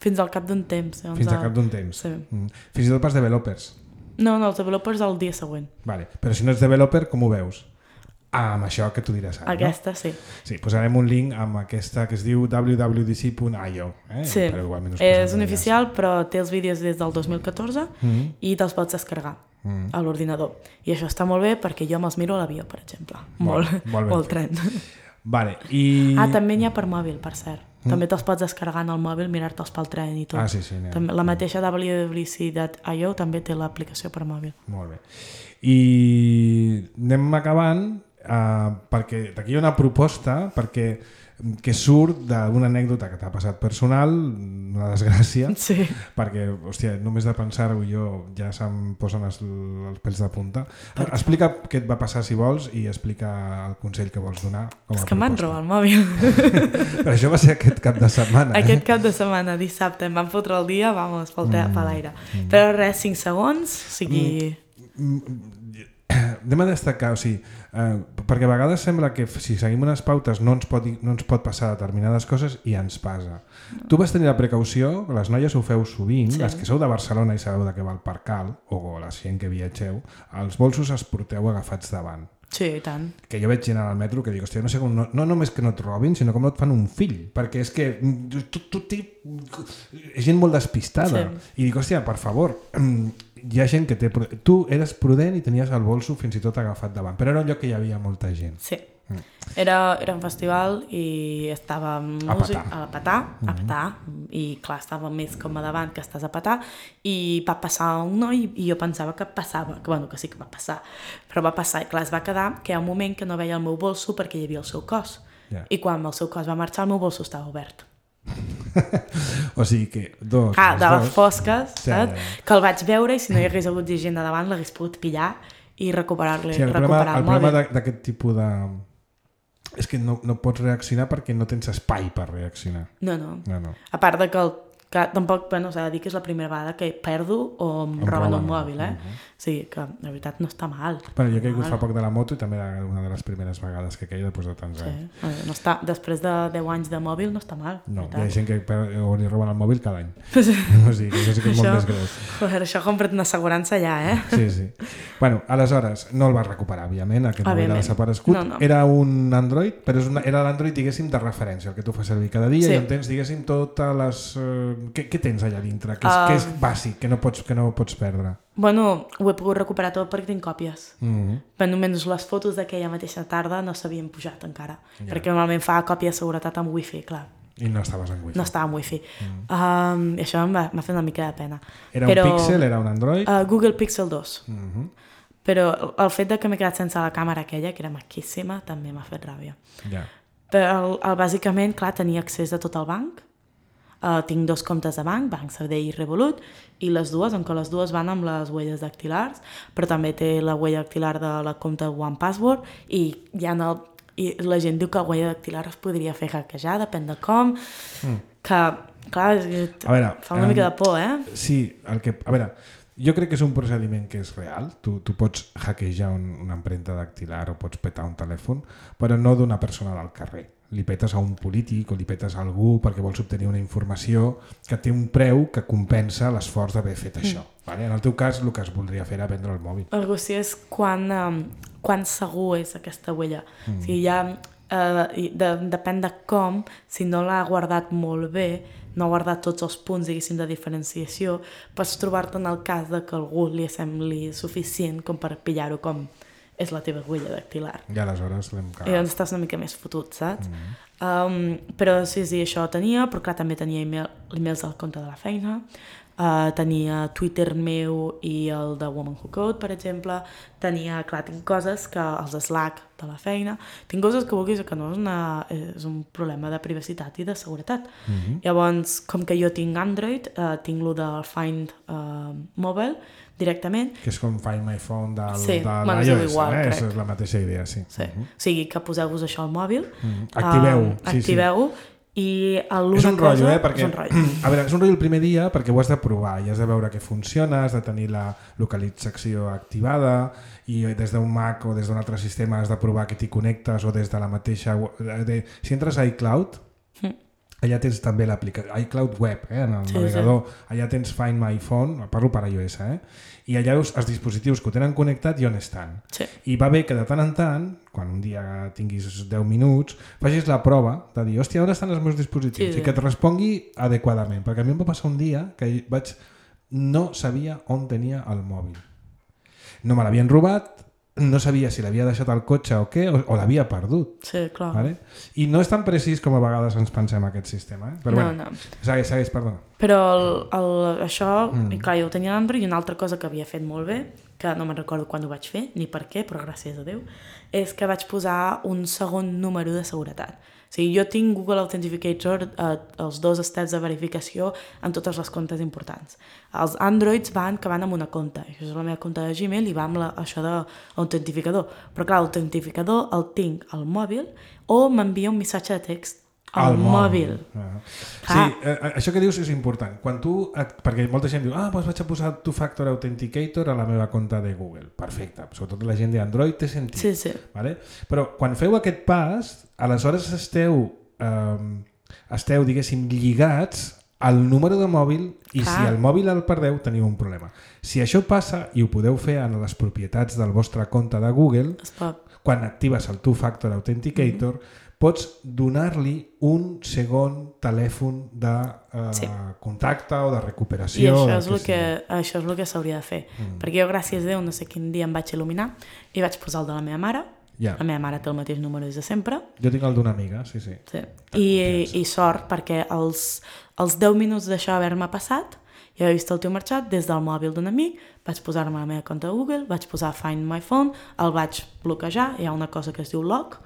Fins al cap d'un temps. Doncs Fins al cap d'un temps. Sí. Mm. Fins i tot pels developers. No, no, els developers el dia següent. Vale. Però si no ets developer, com ho veus? Ah, amb això que tu diràs ara, aquesta, no? sí. Sí, posarem un link amb aquesta que es diu w w d c punt i o. Eh? Sí, és un oficial, però té els vídeos des del dos mil catorze mm-hmm. i te'ls pots descarregar mm. a l'ordinador. I això està molt bé perquè jo me'ls miro a l'avió, per exemple. Molt, molt, molt, molt tren. Vale, i... Ah, també n'hi ha per mòbil, per cert. Mm. També te'ls pots descarregar en el mòbil, mirar-te'ls pel tren i tot. Ah, sí, sí. També, la mateixa w w d c punt i o també té l'aplicació per mòbil. Molt bé. I anem acabant uh, perquè d'aquí hi ha una proposta perquè que surt d'una anècdota que t'ha passat personal, una desgràcia, sí. perquè, hòstia, només de pensar-ho jo ja se'm posen els, els pèls de punta. Explica què et va passar si vols i explica el consell que vols donar. Com a És que m'han robat el mòbil. Però això va ser aquest cap de setmana. Aquest eh? cap de setmana, dissabte, em van fotre el dia, vamos, pel mm. per l'aire. Mm. Però res, cinc segons, o sigui... Mm. Anem a destacar, o sigui, eh, perquè a vegades sembla que si seguim unes pautes no ens pot, no ens pot passar determinades coses i ens passa. No. Tu vas tenir la precaució, les noies ho feu sovint, sí. Les que sou de Barcelona i sabeu de què va el Parcal, o la gent que viatgeu, els bolsos els porteu agafats davant. Sí, i tant. Que jo veig gent al metro que dic, hòstia, no sé com, no, no només que no et robin, sinó com no et fan un fill, perquè és que tu, tu, tu, és gent molt despistada. Sí. I dic, hòstia, per favor, hi ha gent que té... Tu eres prudent i tenies el bolso fins i tot agafat davant, però era un lloc que hi havia molta gent. Sí. Mm. Era, era un festival i estava músic, a petar, a petar, mm-hmm. i clar, estava més com a davant que estàs a petar i va passar un noi i jo pensava que passava, que bueno, que sí que va passar, però va passar i clar, es va quedar que hi ha un moment que no veia el meu bolso perquè hi havia el seu cos. Yeah. I quan el seu cos va marxar el meu bolso estava obert. O sigui que dos... Ah, de les dos. fosques, sí, saps? Ja. Que el vaig veure i si no hi hagués hagut gent de davant l'hagués pogut pillar i recuperar-li, sí, el recuperar problema, el, el mòbil. El problema d'aquest tipus de... és que no, no pots reaccionar perquè no tens espai per reaccionar. No, no. no, no. A part de que el que tampoc, bueno, s'ha de dir que és la primera vegada que perdo o em, em roben un mòbil, eh? Uh-huh. O sigui que, la veritat, no està mal. Bueno, jo he caigut fa poc de la moto i també era una de les primeres vegades que caia després de tants sí. anys. No està, després de deu anys de mòbil no està mal. No, hi ha gent que o li roben el mòbil cada any. O sigui, que això sí que és això, molt més greu. Joder, això compra't una assegurança ja, eh? Sí, sí. Bueno, aleshores, no el vas recuperar, òbviament, aquest mòbil ha desaparegut. No, no. Era un Android, però és una, era l'Android, diguéssim, de referència, el que tu fas servir cada dia, sí. I on tens, diguéssim, totes les... Uh, què, què tens allà dintre? Que és, uh... que és bàsic, que no pots, que no pots perdre. Bueno, ho he pogut recuperar tot perquè tinc còpies. Mm-hmm. Però només les fotos d'aquella mateixa tarda no s'havien pujat encara. Yeah. Perquè normalment fa còpia de seguretat amb wifi, clar. I no estaves en wifi. No estava en wifi. Mm. Um, I això em va, m'ha fet una mica de pena. Era Però, un Pixel? Era un Android? Uh, Google Pixel dos. Uh-huh. Però el fet de que m'he quedat sense la càmera aquella, que era maquíssima, també m'ha fet ràbia. Ja. Yeah. Però el, el, bàsicament, clar, tenia accés a tot el banc. Uh, tinc dos comptes de banc, Banc Sabadell i Revolut, i les dues, en què les dues van amb les huelles dactilars, però també té la huella dactilar de la compte One Password, i, ja no, i la gent diu que la huella dactilar es podria fer hackejar, depèn de com, mm. que, clar, veure, fa una um, mica de por, eh? Sí, el que, a veure, jo crec que és un procediment que és real, tu, tu pots hackejar un, una empremta dactilar o pots petar un telèfon, però no d'una persona del carrer. Li petes a un polític o li petes a algú perquè vols obtenir una informació que té un preu que compensa l'esforç d'haver fet això. Mm. Vale? En el teu cas, el que es voldria fer era vendre el mòbil. El qüestió és quan, um, quan segur és aquesta huella. Mm. O sigui, ja, uh, de, depèn de com, si no l'ha guardat molt bé, no ha guardat tots els punts, diguéssim, de diferenciació, pots trobar-te en el cas de que algú li sembli suficient com per pillar-ho com és la teva huella dactilar. I aleshores l'hem cagat. I doncs estàs una mica més fotut, saps? Mm-hmm. um, però sí, sí, això tenia, però clar, també tenia email, emails al compte de la feina, uh, tenia Twitter meu i el de Woman Who Code, per exemple, tenia, clar, tinc coses que els Slack de la feina, tinc coses que vulguis que no és, una, és un problema de privacitat i de seguretat. Mm-hmm. Llavors, com que jo tinc Android, uh, tinc lo del Find uh, Mobile, directament. Que és com Find My Phone del, sí, de l'iOS, igual, eh? És la mateixa idea, sí. sí. Uh-huh. O sigui, que poseu-vos això al mòbil. Uh-huh. Activeu-ho. Uh, sí, activeu-ho. Sí. I l'una és un cosa... rotllo, eh? Perquè, és un rotllo. A veure, és un rotllo el primer dia perquè ho has de provar i has de veure que funciona, has de tenir la localització activada i des d'un Mac o des d'un altre sistema has de provar que t'hi connectes o des de la mateixa... De... Si entres a iCloud, mm. allà tens també l'aplicació, iCloud Web, eh, en el sí, navegador, sí. Allà tens Find My Phone, parlo per iOS, eh, i allà veus els dispositius que ho tenen connectat i on estan. Sí. I va bé que de tant en tant, quan un dia tinguis deu minuts, facis la prova de dir, hòstia, on estan els meus dispositius? Sí, sí. I que et respongui adequadament, perquè a mi em va passar un dia que vaig no sabia on tenia el mòbil. No me l'havien robat, no sabia si l'havia deixat al cotxe o què, o, o l'havia perdut. Sí, clar. Vale? I no és tan precís com a vegades ens pensem aquest sistema. Eh? Però no, bueno, no. Segueix, segueix, perdona. Però el, el, això, mm. i clar, jo ho tenia a l'Android, i una altra cosa que havia fet molt bé, que no me'n recordo quan ho vaig fer, ni per què, però gràcies a Déu, és que vaig posar un segon número de seguretat. O sigui, jo tinc Google Authenticator, eh, els dos steps de verificació en totes les comptes importants. Els Androids van que van amb una compte, això és la meva compte de Gmail i va amb la, això de l'autentificador. Però clar, l'autentificador el tinc al mòbil o m'envia un missatge de text al, al mòbil. mòbil. Ah. Sí, eh, això que dius és important. Quan tu, perquè molta gent diu, ah, doncs vaig a posar Two-Factor Authenticator a la meva compte de Google. Perfecte. Sobretot la gent d'Android té sentit. Sí, sí. Vale? Però quan feu aquest pas, aleshores esteu, eh, esteu diguéssim, lligats al número de mòbil i ah. si el mòbil el perdeu teniu un problema. Si això passa i ho podeu fer en les propietats del vostre compte de Google, quan actives el Two-Factor Authenticator, mm-hmm. pots donar-li un segon telèfon de eh, sí. contacte o de recuperació. I això és, el que, això és el que s'hauria de fer. Mm. Perquè jo, gràcies a Déu, no sé quin dia em vaig il·luminar i vaig posar el de la meva mare. Yeah. La meva mare té el mateix número des de sempre. Jo tinc el d'una amiga, sí, sí. sí. I, I sort, perquè els, els deu minuts d'això haver-me passat, jo he vist el teu marxat des del mòbil d'un amic, vaig posar-me a la meva compte de Google, vaig posar Find My Phone, el vaig bloquejar, hi ha una cosa que es diu lock.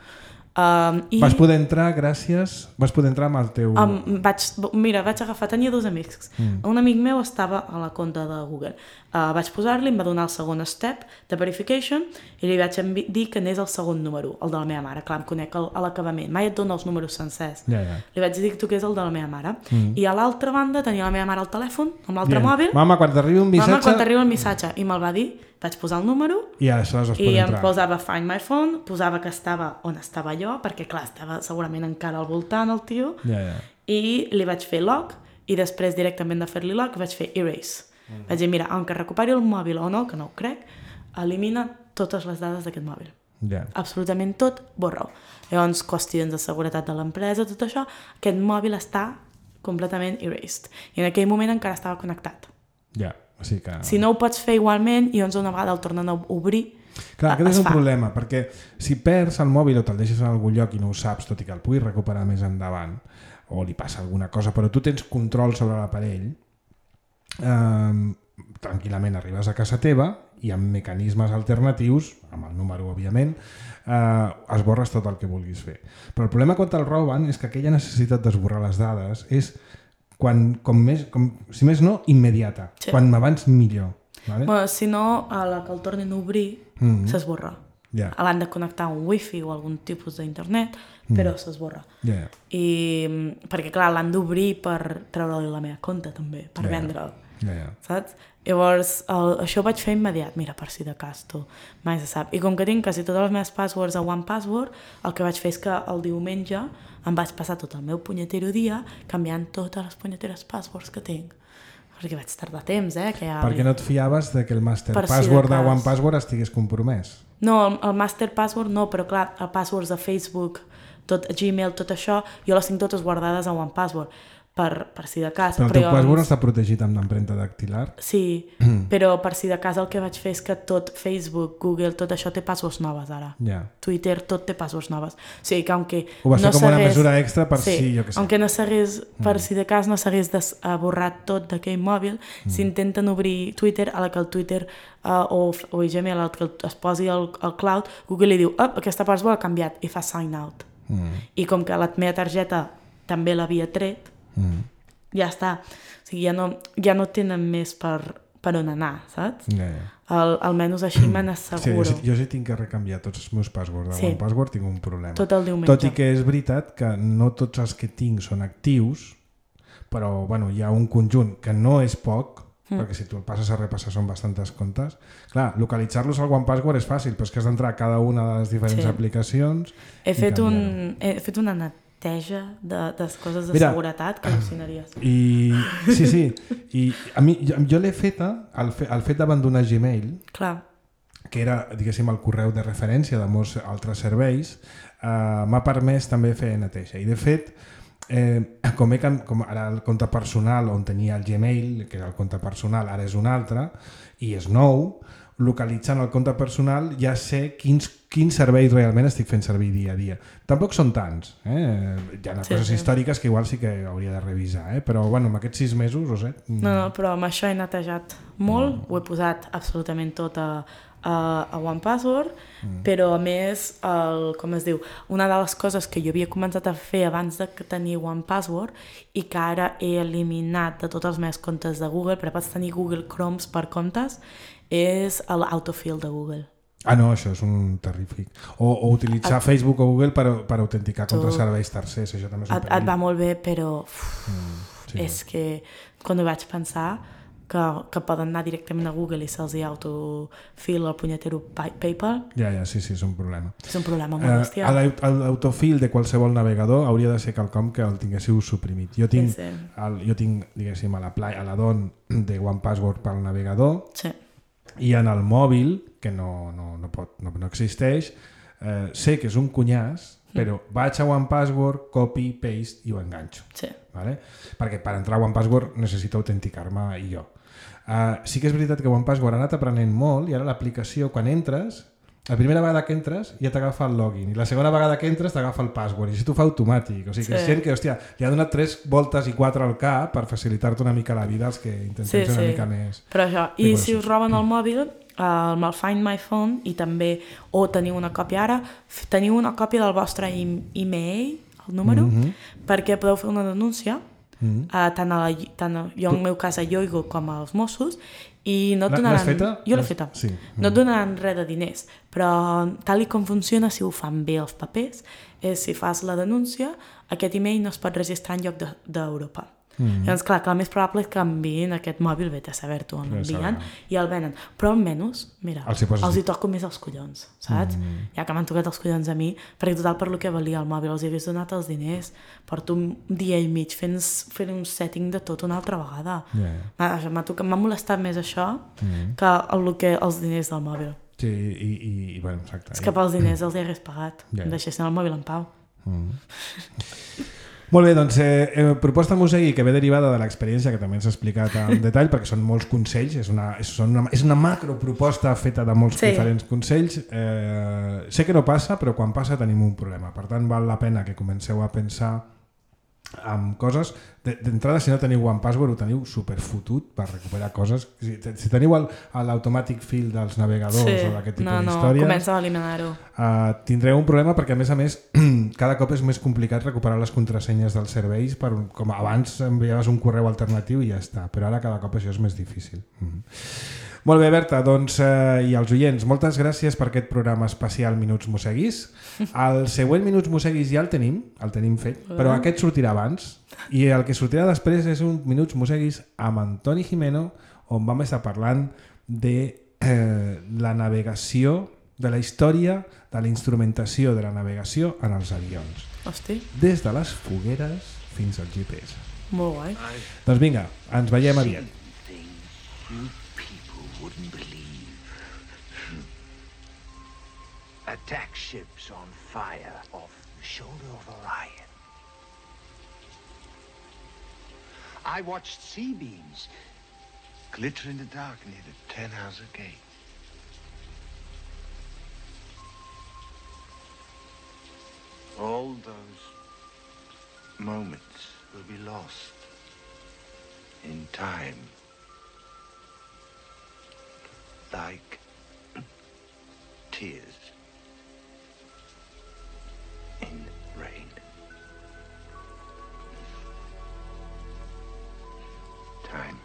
Um, i vas poder entrar gràcies vas poder entrar amb el teu um, vaig, mira, vaig agafar, tenia dos amics mm. un amic meu estava a la compte de Google, uh, vaig posar-li, em va donar el segon step de verification i li vaig dir que anés el segon número, el de la meva mare, clar, em conec el, a l'acabament, mai et dona els números sencers, yeah, yeah. li vaig dir que toqués el de la meva mare mm. i a l'altra banda tenia la meva mare al telèfon amb l'altre yeah. mòbil, mama, quan t'arribi un missatge mama, quan t'arribi un missatge i me'l va dir, vaig posar el número i, i em posava Find My Phone, posava que estava on estava jo, perquè clar, estava segurament encara al voltant el tio, yeah, yeah. i li vaig fer lock, i després directament de fer-li lock vaig fer erase. Mm. Vaig dir, mira, aunque recuperi el mòbil o no, que no ho crec, elimina totes les dades d'aquest mòbil. Yeah. Absolutament tot, borra-ho. Llavors, qüestions de seguretat de l'empresa, tot això, aquest mòbil està completament erased. I en aquell moment encara estava connectat. Ja. Yeah. O sigui que... Si no ho pots fer igualment i llavors una vegada el tornen a obrir, clar, aquest és un fa. problema, perquè si perds el mòbil o te'l deixes en algun lloc i no ho saps, tot i que el puguis recuperar més endavant, o li passa alguna cosa, però tu tens control sobre l'aparell, eh, tranquil·lament arribes a casa teva i amb mecanismes alternatius, amb el número òbviament, eh, esborres tot el que vulguis fer. Però el problema quan te'l roben és que aquella necessitat d'esborrar les dades és, quan, com més, com, si més no, immediata. Sí. Quan abans millor. Vale? Bueno, si no, a la que el tornin a obrir, mm-hmm. s'esborra. Yeah. L'han de connectar a un wifi o algun tipus d'internet, però mm. s'esborra. Yeah. I, perquè, clar, l'han d'obrir per treure-li la meva compte, també, per yeah. vendre'l. Yeah, yeah. Saps? Llavors, el, això ho vaig fer immediat, mira, per si de cas, tu, mai se sap. I com que tinc quasi totes les meves passwords a OnePassword, el que vaig fer és que el diumenge em vaig passar tot el meu punyetero dia canviant totes les punyeteres passwords que tinc. Perquè vaig tardar temps, eh? Que ja... Perquè no et fiaves de que el master per password si de, de OnePassword estigués compromès. No, el, el master password no, però clar, el passwords de Facebook, tot, Gmail, tot això, jo les tinc totes guardades a OnePassword. Per, per si de cas. Però el teu password està protegit amb l'empremta dactilar? Sí, però per si de cas el que vaig fer és que tot Facebook, Google, tot això té passwords noves ara. Yeah. Twitter, tot té passwords noves. O sigui que aunque ho vas fer no com una s'hagués... mesura extra per sí, si, jo què sé. Aunque no s'hagués, per mm. si de cas no s'hagués borrat tot d'aquell mòbil, mm. si intenten obrir Twitter, a la que el Twitter uh, o, o Gmail, al que es posi el, el cloud, Google li diu, oh, aquesta password ha canviat, i fa sign out. Mm. I com que la meva targeta també l'havia tret, mm. ja està, o sigui, ja no, ja no tenen més per, per on anar, saps? Yeah, yeah. Al, almenys així me n'asseguro. Sí, jo sí tinc que recanviar tots els meus passwords de sí. OnePassword, tinc un problema. Tot el diumenge. Tot i que és veritat que no tots els que tinc són actius, però bueno, hi ha un conjunt que no és poc, mm. perquè si tu el passes a repassar són bastantes comptes. Clar, localitzar-los al OnePassword és fàcil, però és que has d'entrar a cada una de les diferents sí. aplicacions. He fet, un, he fet una neteja de, de coses de Mira, seguretat que al·lucinaries. I, sí, sí. I a mi, jo, jo l'he feta, el, fe, el fet d'abandonar Gmail, clar. que era, diguéssim, el correu de referència de molts altres serveis, eh, m'ha permès també fer neteja. I de fet, eh, com, he, com ara el compte personal on tenia el Gmail, que era el compte personal, ara és un altre, i és nou, localitzant el compte personal ja sé quins, quins serveis realment estic fent servir dia a dia. Tampoc són tants, eh? Hi ha sí, coses sí. històriques que igual sí que hauria de revisar, eh? Però bueno, amb aquests sis mesos, no sé. No, no, però amb això he netejat molt, mm. ho he posat absolutament tot a, a, a OnePassword, mm. però a més, el, com es diu, una de les coses que jo havia començat a fer abans de tenir OnePassword i que ara he eliminat de tots els meus comptes de Google, però pots tenir Google Chromes per comptes, és l'autofill de Google. Ah, no, això és un terrífic. O, o utilitzar et... Facebook o Google per, per autenticar tu... contra serveis tercers, això també és un et, et va molt bé, però uf, mm, sí. és que quan ho vaig pensar que, que poden anar directament a Google i se'ls hi autofill el punyetero PayPal. Ja, ja, sí, sí, és un problema. És un problema molt bestial. Uh, L'autofill de qualsevol navegador hauria de ser quelcom que el tinguéssiu suprimit. Jo tinc, sí, sí. El, jo tinc diguéssim, a la, a la D O N de OnePassword pel navegador, sí. i en el mòbil, que no, no, no, pot, no, no existeix, eh, sé que és un cunyàs, però mm. vaig a OnePassword, copy, paste i ho enganxo. Sí. Vale? Perquè per entrar a OnePassword necessito autenticar-me i jo. Uh, sí que és veritat que OnePassword ha anat aprenent molt i ara l'aplicació, quan entres, la primera vegada que entres ja t'agafa el login i la segona vegada que entres t'agafa el password i això t'ho fa automàtic. O sigui que sí. és gent que, hòstia, li ha donat tres voltes i quatre al cap per facilitar-te una mica la vida als que intentem sí, ser una sí. mica més... Però això, i si us roben el mòbil, amb el Find My Phone, i també, o teniu una còpia ara, teniu una còpia del vostre e-mail, el número, mm-hmm. perquè podeu fer una denúncia, mm-hmm. uh, tant, a la, tant a, jo en el meu cas a Yoigo com als Mossos, i no et donaran... L'has feta? Jo l'he feta. Sí. No et donaran res de diners, però tal i com funciona, si ho fan bé els papers, és si fas la denúncia, aquest e-mail no es pot registrar en lloc d'Europa. De, mm. Llavors, clar, que el més probable és que enviïn aquest mòbil, vete a saber-t'ho on l'envien, i el venen. Però almenys, mira, els hi, els hi toco més els collons, saps? Mm. Ja que m'han tocat els collons a mi, perquè total per lo que valia el mòbil, els hi hagués donat els diners, porto un dia i mig fent, fent un setting de tot una altra vegada. Yeah. M'ha molestat més això mm. que, el, que els diners del mòbil. Sí, i, i, i bueno, exacte. És que pels diners els hi hagués pagat, yeah. em deixessin el mòbil en pau. Mm. Molt bé, doncs eh, eh, proposta musegui que ve derivada de l'experiència que també ens ha explicat en detall, perquè són molts consells, és una, és una, és una macroproposta feta de molts sí. diferents consells. Eh, sé que no passa, però quan passa tenim un problema. Per tant, val la pena que comenceu a pensar amb coses, d'entrada si no teniu OnePassword ho teniu superfotut per recuperar coses, si, si teniu l'automàtic fill dels navegadors sí, o d'aquest tipus no, no, d'històries comença a eliminar-ho. Uh, tindreu un problema perquè a més a més cada cop és més complicat recuperar les contrasenyes dels serveis, per, com abans enviaves un correu alternatiu i ja està, però ara cada cop això és més difícil. Mm. Molt bé, Berta, doncs, eh, i als oients, moltes gràcies per aquest programa especial Minuts Mosseguis. El següent Minuts Mosseguis ja el tenim, el tenim fet, però aquest sortirà abans, i el que sortirà després és un Minuts Mosseguis amb Antoni Gimeno, on vam estar parlant de eh, la navegació, de la història de la instrumentació de la navegació en els avions. Hosti. Des de les fogueres fins al G P S. Molt guai. Doncs vinga, ens veiem aviat. Wouldn't believe. Attack ships on fire off the shoulder of Orion. I watched sea beams glitter in the dark near the Tannhauser Gate. All those moments will be lost in time. Like tears in rain. Time.